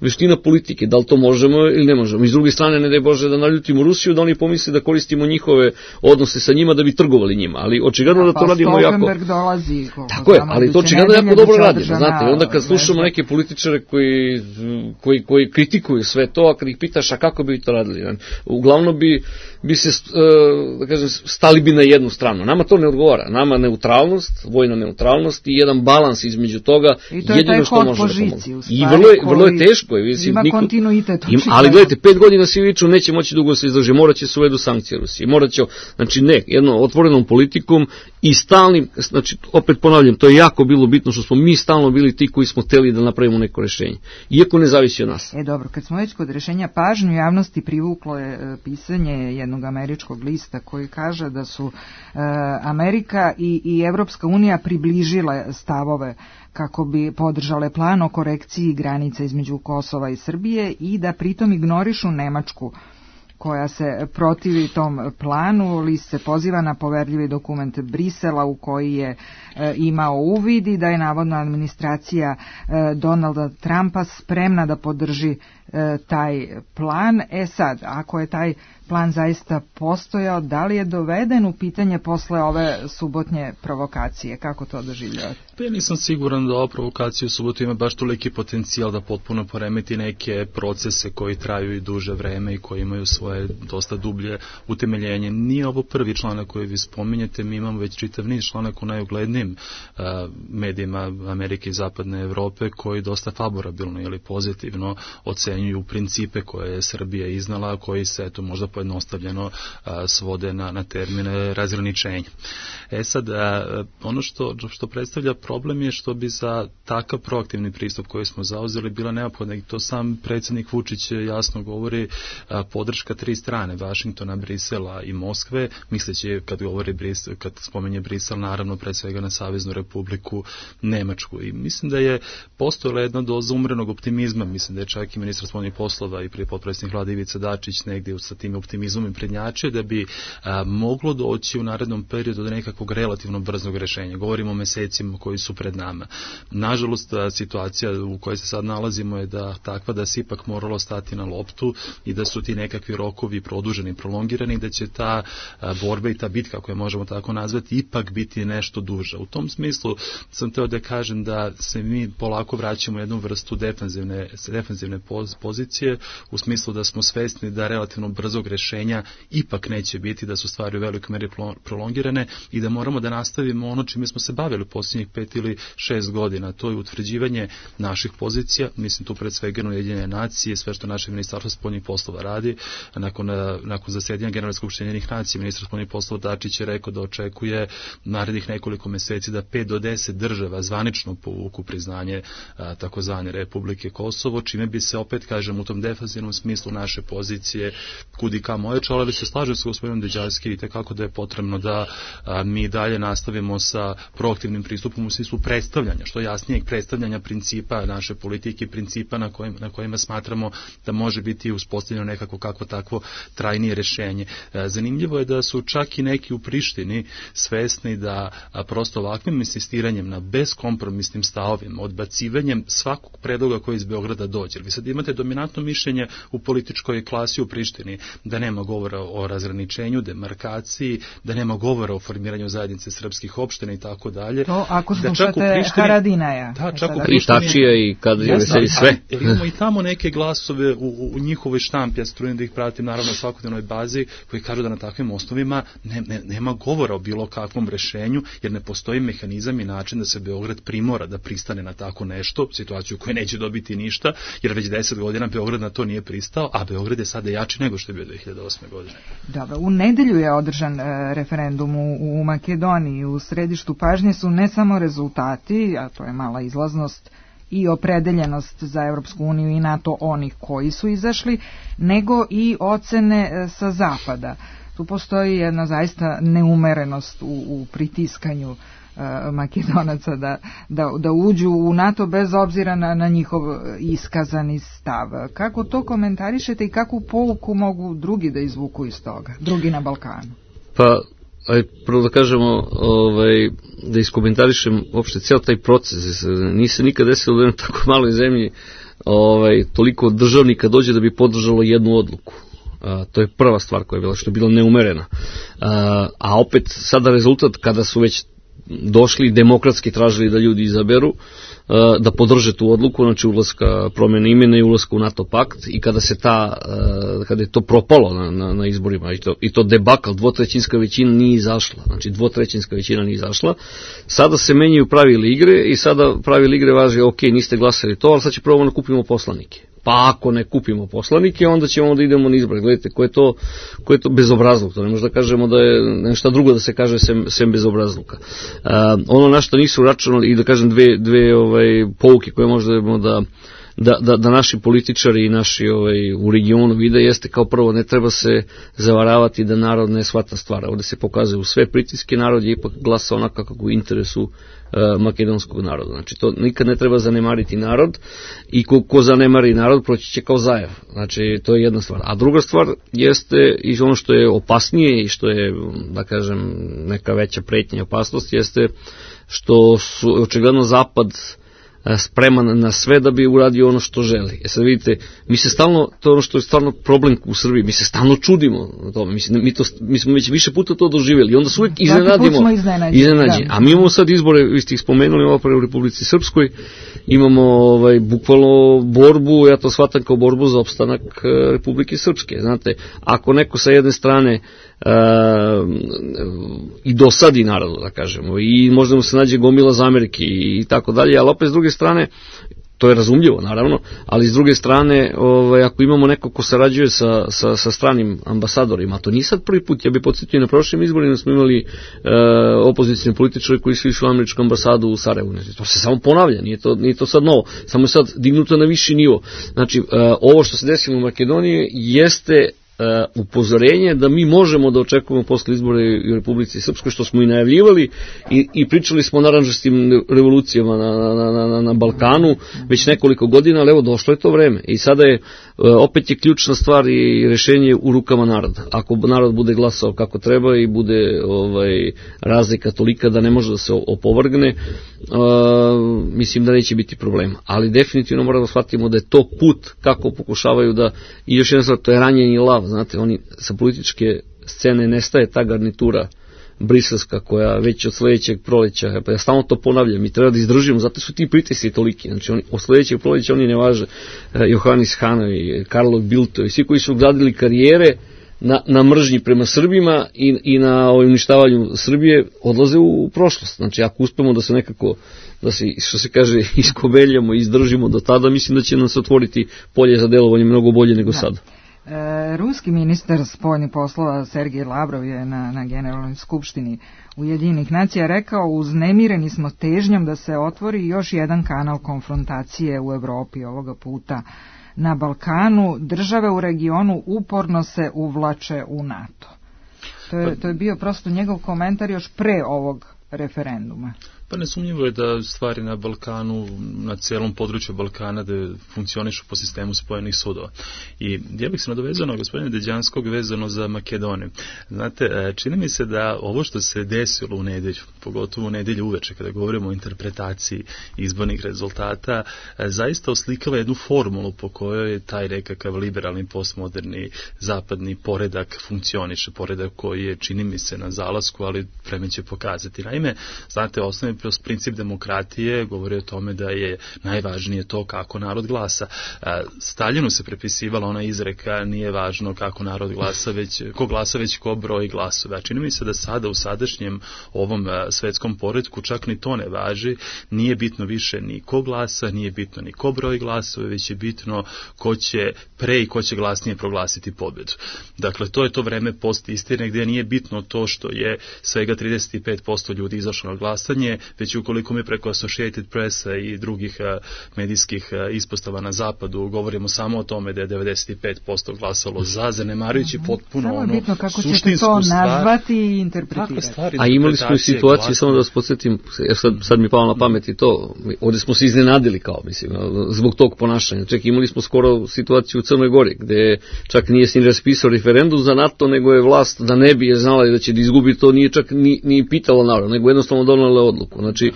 veština politike, da li to možemo ili ne možemo. I s druge strane, ne daj Bože da naljutimo Rusiju, da oni pomisle da koristimo njihove odnose sa njima da bi trgovali njima, ali očigledno da to radimo jako. Dolazi, tako je, ali to očigledno jako dobro radimo, znate, onda kad slušamo neke političare koji kritikuju sve to, a kad ih pitaš a kako bi to radili, uglavnom bi se, da kažem, stali bi na jednu stranu. Nama to ne odgovara, nama neutralnost, vojna neutralnost i jedan balans između toga, jedino što može da pomoći. I vrlo je teško. Ima kontinuitet. Ali gledajte, 5 godina svi viču neće moći dugo se izdrži, morat će se uvedu sankcije Rusiji, znači jednom otvorenom politikom i stalnim, znači opet ponavljam, to je jako bilo bitno što smo mi stalno bili ti koji smo hteli da napravimo neko rešenje, iako ne zavisi od nas. Dobro, kad smo već kod rešenja, pažnju javnosti privuklo je pisanje jednog američkog lista koji kaže da su Amerika i Evropska unija približile stavove kako bi podržale plan o korekciji granica između Kosova i Srbije i da pritom ignorišu Nemačku koja se protivi tom planu. List se poziva na poverljivi dokument Brisela u koji je imao uvid i da je navodno administracija Donalda Trumpa spremna da podrži taj plan. Sad, ako je taj plan zaista postojao, da li je doveden u pitanje posle ove subotnje provokacije? Kako to doživljavate? Ja nisam siguran da ova provokacija u subotu ima baš toliki potencijal da potpuno poremeti neke procese koji traju i duže vreme i koji imaju svoje dosta dublje utemeljenje. Nije ovo prvi članak koji vi spominjete, mi imamo već čitav niz članak u najuglednijim medijima Amerike i Zapadne Evrope koji dosta favorabilno ili pozitivno ocenjuju principe koje je Srbija iznala, koji se možda pojednostavljeno svode na termine razgraničenja. Sad, ono što predstavlja problem je što bi za takav proaktivni pristup koji smo zauzeli bila neophodna, i to sam predsjednik Vučić jasno govori, podrška 3 strane, Vašingtona, Brisela i Moskve, misleći kad spomenje Brisel, naravno pred svega na Saveznu Republiku Nemačku. I mislim da je postojala jedna doza umrenog optimizma, mislim da je čak i ministar spoljnih poslova i prvi potpredsjednik Vlade Ivica Dačić negdje sa tim optimizmom i prednjače da bi moglo doći u narednom periodu do nekakvog relativno brzog rešenja. Govorimo o mesecima koji su pred nama. Nažalost, situacija u kojoj se sad nalazimo je takva da se ipak moralo stati na loptu i da su ti nekakvi rokovi produženi, prolongirani, da će ta borba i ta bitka, koju možemo tako nazvati, ipak biti nešto duža. U tom smislu sam teo da kažem da se mi polako vraćamo u jednu vrstu defanzivne pozicije, u smislu da smo svesni da relativno brzog rešenja ipak neće biti, da su stvari u velikoj meri prolongirane i da moramo da nastavimo ono čime smo se bavili u posljednjih 5 ili 6 godina. To je utvrđivanje naših pozicija, mislim tu pred svega Ujedinjene nacije, sve što naše ministarstvo spoljnih poslova radi. Nakon zasedanja Generalne skupštine Ujedinjenih nacija, ministar spoljnih poslova Dačić je rekao da očekuje narednih nekoliko meseci da 5 do 10 država zvanično povuku priznanje takozvane Republike Kosovo, čime bi se opet, kažem, u tom defanzivnom smislu naše pozicije kudi kamo ojačale, ali se slažem sa gospodinom Deđarski i tekako da je potrebno da mi dalje nastavimo sa proaktivnim pristupom u smislu predstavljanja, što jasnijeg predstavljanja principa naše politike, principa na kojima smatramo da može biti uspostavljeno nekako kakvo takvo trajnije rešenje. Zanimljivo je da su čak i neki u Prištini svesni da prosto ovakvim insistiranjem na beskompromisnim stavovima, odbacivanjem svakog predloga koji iz Beograda dođe. Vi sad imate dominantno mišljenje u političkoj klasi u Prištini da nema govora o razgraničenju, demarkaciji, da nema govora o formiranju zajednice srpskih opština i tako dalje. To ako slušate Haradinaja. Da, čak u Prištačija i kad je veseli sve. Imamo i tamo neke glasove u njihovoj štampi, ja se trudim da ih pratim naravno na svakodnevnoj bazi, koji kažu da na takvim osnovima nema govora o bilo kakvom rešenju, jer ne postoji mehanizam i način da se Beograd primora da pristane na tako nešto, situaciju koju neće dobiti ništa, jer već 10 godina Beograd na to nije pristao, a Beograd je sada jači nego što je bio 2008. godine. Dobro, u nedelju je održan referendum u Makedoniji. U središtu pažnje su ne samo rezultati, a to je mala izlaznost i opredeljenost za Evropsku uniju i NATO onih koji su izašli, nego i ocene sa zapada. Tu postoji jedna zaista neumerenost u pritiskanju Makedonaca da uđu u NATO bez obzira na njihov iskazani stav. Kako to komentarišete i kakvu pouku mogu drugi da izvuku iz toga, drugi na Balkanu? Pa, prvo da kažemo, da iskomentarišem uopšte cijel taj proces. Nije se nikad desilo da je tako maloj zemlji toliko državnika dođe da bi podržalo jednu odluku. To je prva stvar koja je bila, što je bila neumerena. A opet sada rezultat kada su već došli demokratski tražili da ljudi izaberu, da podrže tu odluku, znači ulaska, promjene imena i ulaska u NATO pakt, i kada je to propalo na izborima i to debakl, dvotrećinska većina nije izašla, znači dvotrećinska većina nije izašla, sada se menjaju pravila igre i sada pravila igre važi, ok, niste glasali to, ali sad će prvo da kupimo poslanike. Pa ako ne kupimo poslanike, onda ćemo da idemo na izbore. Gledajte, ko je to bezobrazluk? To ne možda kažemo da je nešto drugo da se kaže sem bezobrazluka. Ono na što nisu računali, i da kažem dve pouke koje možda da naši političari i naši u regionu vide, jeste kao prvo, ne treba se zavaravati da narod ne shvata stvar. Ovdje se pokazuju sve pritiske, narod je ipak glasa onako kako u interesu makedonskog naroda. Znači to nikad ne treba zanemariti narod, i ko zanemari narod proći će kao zajev. Znači to je jedna stvar. A druga stvar jeste, i ono što je opasnije i što je, da kažem, neka veća pretnja i opasnost, jeste što su očigledno Zapad spreman na sve da bi uradio ono što želi. Sad vidite, mi se stalno, to je ono što je stvarno problem u Srbiji, mi se stalno čudimo na tome. Mi smo već više puta to doživjeli i onda se uvijek iznenađeni. A mi imamo sad izbore, vi ste ih spomenuli, ovo u Republici Srpskoj, imamo bukvalno borbu, ja to shvatam kao borbu za opstanak Republike Srpske. Znate, ako neko sa jedne strane i dosadi narodu, da kažemo, i možda mu se nađe gomila zamerki i tako dalje, ali opet s druge strane, to je razumljivo naravno, ali s druge strane, ako imamo neko ko sarađuje sa stranim ambasadorima, to nije sad prvi put, ja bih podsjetio, na prošlim izborima smo imali opozicijne političare koji su išli u američku ambasadu u Sarajevu. To se samo ponavlja, nije to sad novo, samo je sad dignuto na viši nivo. Znači, ovo što se desilo u Makedoniji jeste upozorenje da mi možemo da očekujemo posle izbora u Republici Srpskoj, što smo i najavljivali i pričali smo o naranđastim revolucijama na Balkanu već nekoliko godina, ali evo došlo je to vreme i sada je opet je ključna stvar i rešenje u rukama naroda. Ako narod bude glasao kako treba i bude razlika tolika da ne može da se opovrgne, mislim da neće biti problema. Ali definitivno moramo da shvatimo da je to put kako pokušavaju da, i još jedna stvar, to je ranjeni lav, znate, oni sa političke scene nestaje ta garnitura briselska koja već od sledećeg proleća, ja stalno to ponavljam, mi treba da izdržimo, zato su ti pritisci toliki, znači od sledećeg proleća oni ne važe, Johannes Hanovi, Karlo Bildt i svi koji su gradili karijere na mržnji prema Srbima i na uništavanju Srbije odlaze u prošlost. Znači ako uspemo da se nekako, da se, što se kaže, iskobeljamo i izdržimo do tada, mislim da će nam se otvoriti polje za delovanje mnogo bolje nego sada. Ruski ministar spoljnih poslova Sergej Lavrov je na Generalnoj skupštini Ujedinjenih nacija rekao: uznemireni smo težnjom da se otvori još jedan kanal konfrontacije u Evropi, ovoga puta na Balkanu. Države u regionu uporno se uvlače u NATO. To je bio prosto njegov komentar još pre ovog referenduma. Pa nesumnjivo je da stvari na Balkanu, na celom području Balkana, da funkcionišu po sistemu spojenih sudova. I ja bih se nadovezao na gospodina Deđanskog vezano za Makedoniju. Znate, čini mi se da ovo što se desilo u nedelju, pogotovo u nedelju uveče, kada govorimo o interpretaciji izbornih rezultata, zaista oslikava jednu formulu po kojoj je taj nekakav liberalni, postmoderni, zapadni poredak funkcioniše. Poredak koji je, čini mi se, na zalasku, ali vreme će pokazati. Naime, znate, osnovni princip demokratije govori o tome da je najvažnije to kako narod glasa. Staljinu se prepisivala ona izreka: nije važno kako narod glasa, već ko glasa, već ko broji glasove. A čini mi se da sada u sadašnjem ovom svetskom poretku čak ni to ne važi. Nije bitno više ni ko glasa, nije bitno ni ko broji glasove, već je bitno ko će pre i ko će glasnije proglasiti pobedu. Dakle, to je to vreme post istine gdje nije bitno to što je svega 35% ljudi izašlo na glasanje, već ukoliko mi preko Associated Pressa i drugih medijskih ispostava na zapadu govorimo samo o tome da je 95% glasalo za, zanemarujući potpuno samo ono bitno kako ćete to nazvati i interpretirati. A imali smo i situaciju, samo da vas podsjetim, sad mi palo na pamet i to, ovdje smo se iznenadili kao, mislim, zbog tog ponašanja. Čak imali smo skoro situaciju u Crnoj Gori, gde čak nije se ni raspisao referendum za NATO, nego je vlast, da ne bi je znala da će da izgubi, to nije čak ni pitalo narod, nego jednostavno donela odluku. Znači,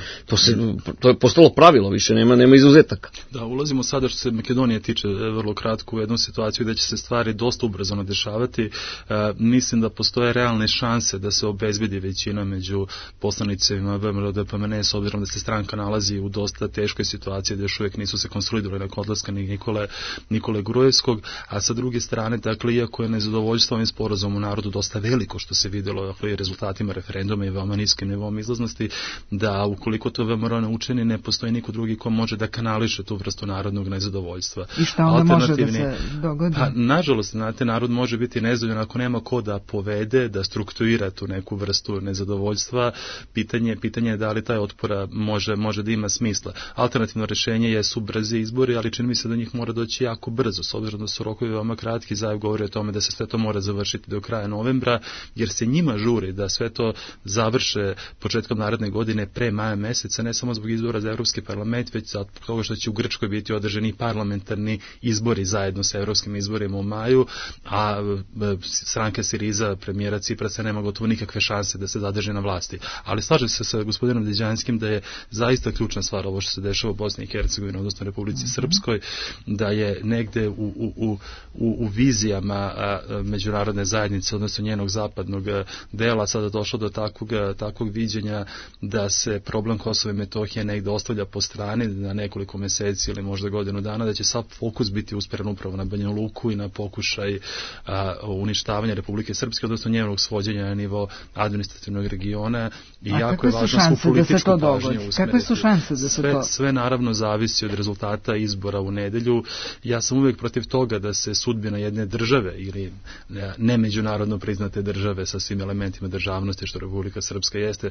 to je postalo pravilo, više nema izuzetaka. Da, ulazimo sada što se Makedonije tiče vrlo kratko u jednu situaciju gde će se stvari dosta ubrzano dešavati. Mislim da postoje realne šanse da se obezbedi većina među poslanicima VMRO-DPMNE, s obzirom da se stranka nalazi u dosta teškoj situaciji, da još uvijek nisu se konsolidovali nakon odlaska Nikole Grujevskog, a sa druge strane, dakle, iako je nezadovoljstvo ovim sporazumom u narodu dosta veliko, što se vidjelo, dakle, i rezultatima referenduma i veoma niskim nivom izlaznosti, da ukoliko to VMRO ne učini, ne postoji niko drugi ko može da kanališe tu vrstu narodnog nezadovoljstva. I šta onda može da se dogodi? Pa, nažalost, znate, narod može biti nezadovoljan ako nema ko da povede, da strukturira tu neku vrstu nezadovoljstva. Pitanje je da li taj otpora može da ima smisla. Alternativno rešenje su brzi izbori, ali čini mi se da njih mora doći jako brzo, s obzirom da su rokovi veoma kratki. Zajev govori o tome da se sve to mora završiti do kraja novembra, jer se njima žuri da sve to završe početkom naredne godine, pre maja meseca, ne samo zbog izbora za Evropski parlament, već zbog toga što će u Grčkoj biti održani parlamentarni izbori zajedno sa evropskim izborima u maju, a stranka Siriza, premijera Ciprasa, nema gotovo nikakve šanse da se zadrži na vlasti. Ali slažem se sa gospodinom Deđanskim da je zaista ključna stvar ovo što se dešava u Bosni i Hercegovini, odnosno Republici Srpskoj, da je negde u vizijama međunarodne zajednice, odnosno njenog zapadnog dela, sada došlo do takvog viđenja da se problem Kosova i Metohije negde ostavlja po strani na nekoliko meseci ili možda godinu dana, da će sav fokus biti usperen upravo na Banja Luku i na pokušaj uništavanja Republike Srpske, odnosno njenog svođenja na nivo administrativnog regiona. I jako je važno svu političku pažnju usmeriti. Kakve su šanse da se to... Sve naravno zavisi od rezultata izbora u nedelju. Ja sam uvijek protiv toga da se sudbina jedne države ili ne međunarodno priznate države sa svim elementima državnosti što Republika Srpska jeste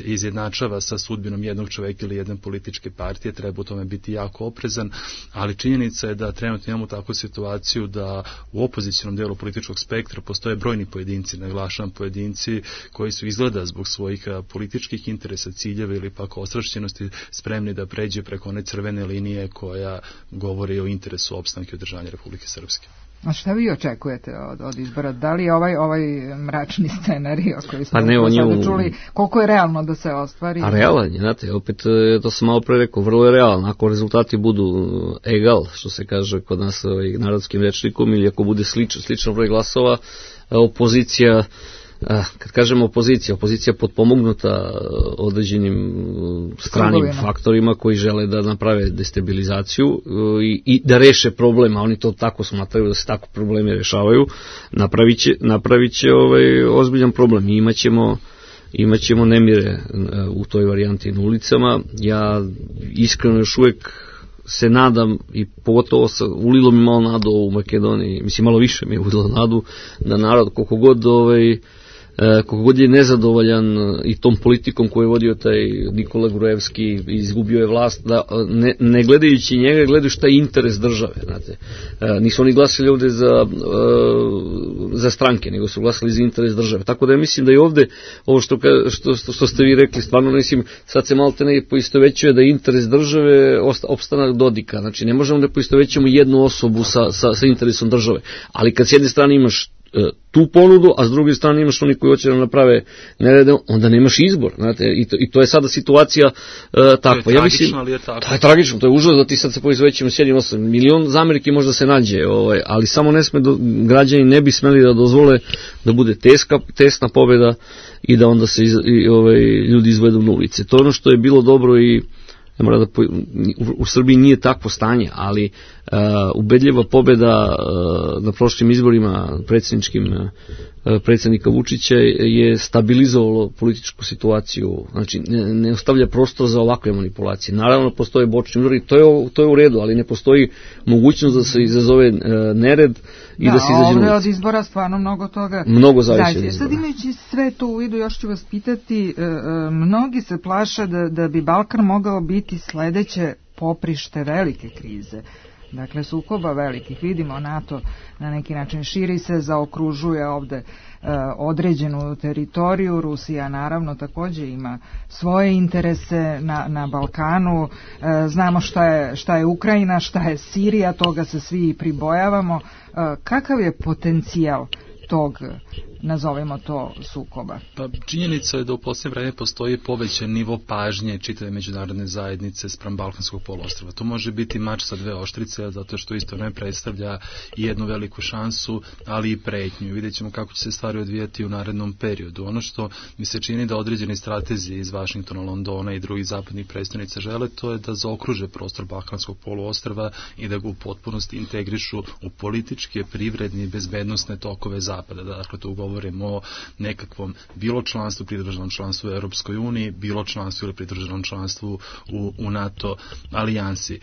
izjednači izjednačava sa sudbinom jednog čoveka ili jedne političke partije, treba u tome biti jako oprezan, ali činjenica je da trenutno imamo takvu situaciju da u opozicionom delu političkog spektra postoje brojni pojedinci, naglašavam pojedinci koji su izgleda zbog svojih političkih interesa, ciljeva ili pak ostrašćenosti spremni da pređe preko one crvene linije koja govori o interesu opstanka i održanja Republike Srpske. A šta vi očekujete od izbora? Da li je ovaj mračni scenario koji smo sada čuli, koliko je realno da se ostvari? A realan je, znate, opet to sam malo pre rekao, vrlo je realno. Ako rezultati budu egal, što se kaže kod nas narodskim rečnikom, ili ako bude slično broj glasova, opozicija, kad kažemo opozicija potpomognuta određenim stranim faktorima koji žele da naprave destabilizaciju i da reše problem, a oni to tako smatraju da se tako problemi rešavaju, napravit će ozbiljan problem. I imaćemo nemire u toj varijanti na ulicama. Ja iskreno još uvek se nadam, i pogotovo ulilo mi malo nadu u Makedoniji, mislim malo više mi je ulilo nadu da narod koliko god je nezadovoljan i tom politikom koju je vodio taj Nikola Gruevski, izgubio je vlast, da ne gledajući njega gledaju šta je interes države, znate. Nisu oni glasili ovde za stranke, nego su glasili za interes države. Tako da ja mislim da i ovde, ovo što ste vi rekli, stvarno mislim, sad se malte ne poistovećuje da je interes države opstanak Dodika. Znači ne možemo da poistovećujemo jednu osobu sa interesom države. Ali kad s jedne strane imaš tu ponudu, a s druge strane imaš oni koji hoće da naprave nerede, onda nemaš izbor, znate, i to je sada situacija takva. Ja mislim, ali je tako. To je tragično, to je užas da ti sad se poizvećemo s jednim 8 milion zamerki možda se nađe, ali samo građani ne bi smeli da dozvole da bude tesna pobjeda i da onda se ljudi izvedu na ulice. To je ono što je bilo dobro i u Srbiji nije takvo stanje, ali ubedljiva pobjeda na prošlim izborima predsjednika Vučića je stabilizovalo političku situaciju, znači ne ostavlja prostor za ovakve manipulacije. Naravno postoje bočni udari, to je u redu, ali ne postoji mogućnost da se izazove nered i da se izađe na ulicu. Od izbora stvarno mnogo toga zavisi. Sad imajući sve to u vidu, još ću vas pitati, mnogi se plaše da bi Balkan mogao biti sledeće poprište velike krize. Dakle, sukoba velikih, vidimo NATO na neki način širi se, zaokružuje ovde određenu teritoriju, Rusija naravno takođe ima svoje interese na Balkanu, znamo šta je Ukrajina, šta je Sirija, toga se svi pribojavamo. Kakav je potencijal tog, nazovemo to, sukoba? Pa činjenica je da u posljednje vreme postoji povećan nivo pažnje čitave međunarodne zajednice spram Balkanskog poluostrva. To može biti mač sa dve oštrice, zato što isto ne predstavlja jednu veliku šansu, ali i pretnju. Vidjet ćemo kako će se stvari odvijati u narednom periodu. Ono što mi se čini da određeni stratezi iz Vašingtona, Londona i drugih zapadnih predstavnica žele, to je da zaokruže prostor Balkanskog poluostrva i da ga u potpunosti integrišu u političke, privredne i bezbednosne tokove Zapada. Dakle, to govorimo o nekakvom bilo članstvu, pridruženom članstvu u Europskoj uniji, bilo članstvu ili pridruženom članstvu u NATO alijansi.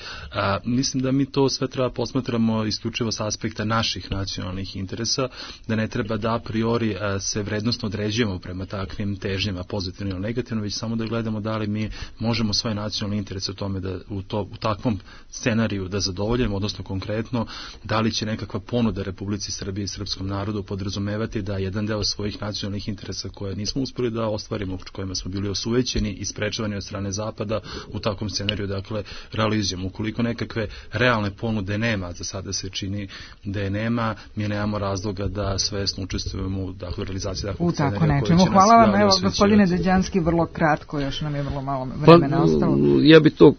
Mislim da mi to sve treba posmatramo isključivo s aspekta naših nacionalnih interesa, da ne treba da a priori se vrednostno određujemo prema takvim težnjama, pozitivno ili negativno, već samo da gledamo da li mi možemo svoje nacionalne interese u tome da u takvom scenariju da zadovoljimo, odnosno konkretno da li će nekakva ponuda Republici Srbije i srpskom narodu podrazumevati da jedan deo svojih nacionalnih interesa koje nismo uspeli da ostvarimo, kojima smo bili osuvećeni i sprečavani od strane Zapada u takvom scenariju, dakle, realizujemo. Ukoliko nekakve realne ponude nema, za sada se čini da je nema, mi nemamo razloga da svesno učestvujemo u realizaciji takvog scenarija. Hvala vam, evo, gospodine Deđanski, vrlo kratko, još nam je vrlo malo vremena ostalo. Ja bi to,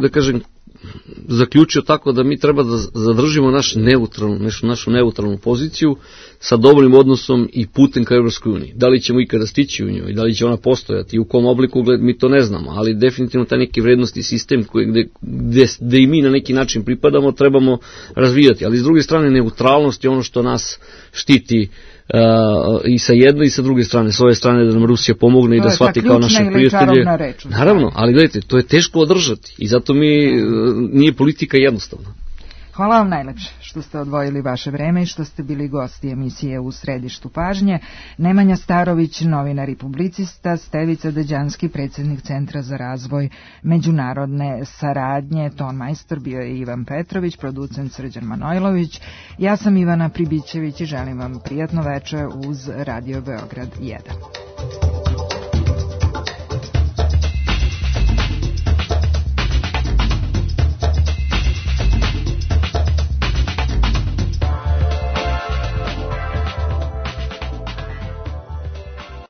da kažem, zaključio tako da mi treba da zadržimo našu neutralnu poziciju sa dobrim odnosom i putem ka Evropskoj uniji. Da li ćemo ikada stići u njoj, da li će ona postojati i u kom obliku, mi to ne znamo, ali definitivno taj neki vrednosti sistem gde i mi na neki način pripadamo trebamo razvijati, ali s druge strane neutralnost je ono što nas štiti i sa jedne i sa druge strane, s ove strane da nam Rusija pomogne i da shvati kao naše prijatelje. Naravno, ali gledajte, to je teško održati i zato nije politika jednostavna. Hvala vam najlepše što ste odvojili vaše vreme i što ste bili gosti emisije U središtu pažnje. Nemanja Starović, novinar i publicista, Stevica Deđanski, predsjednik Centra za razvoj međunarodne saradnje, ton majstor bio je Ivan Petrović, producent Srđan Manojlović. Ja sam Ivana Pribićević i želim vam prijatno veče uz Radio Beograd 1.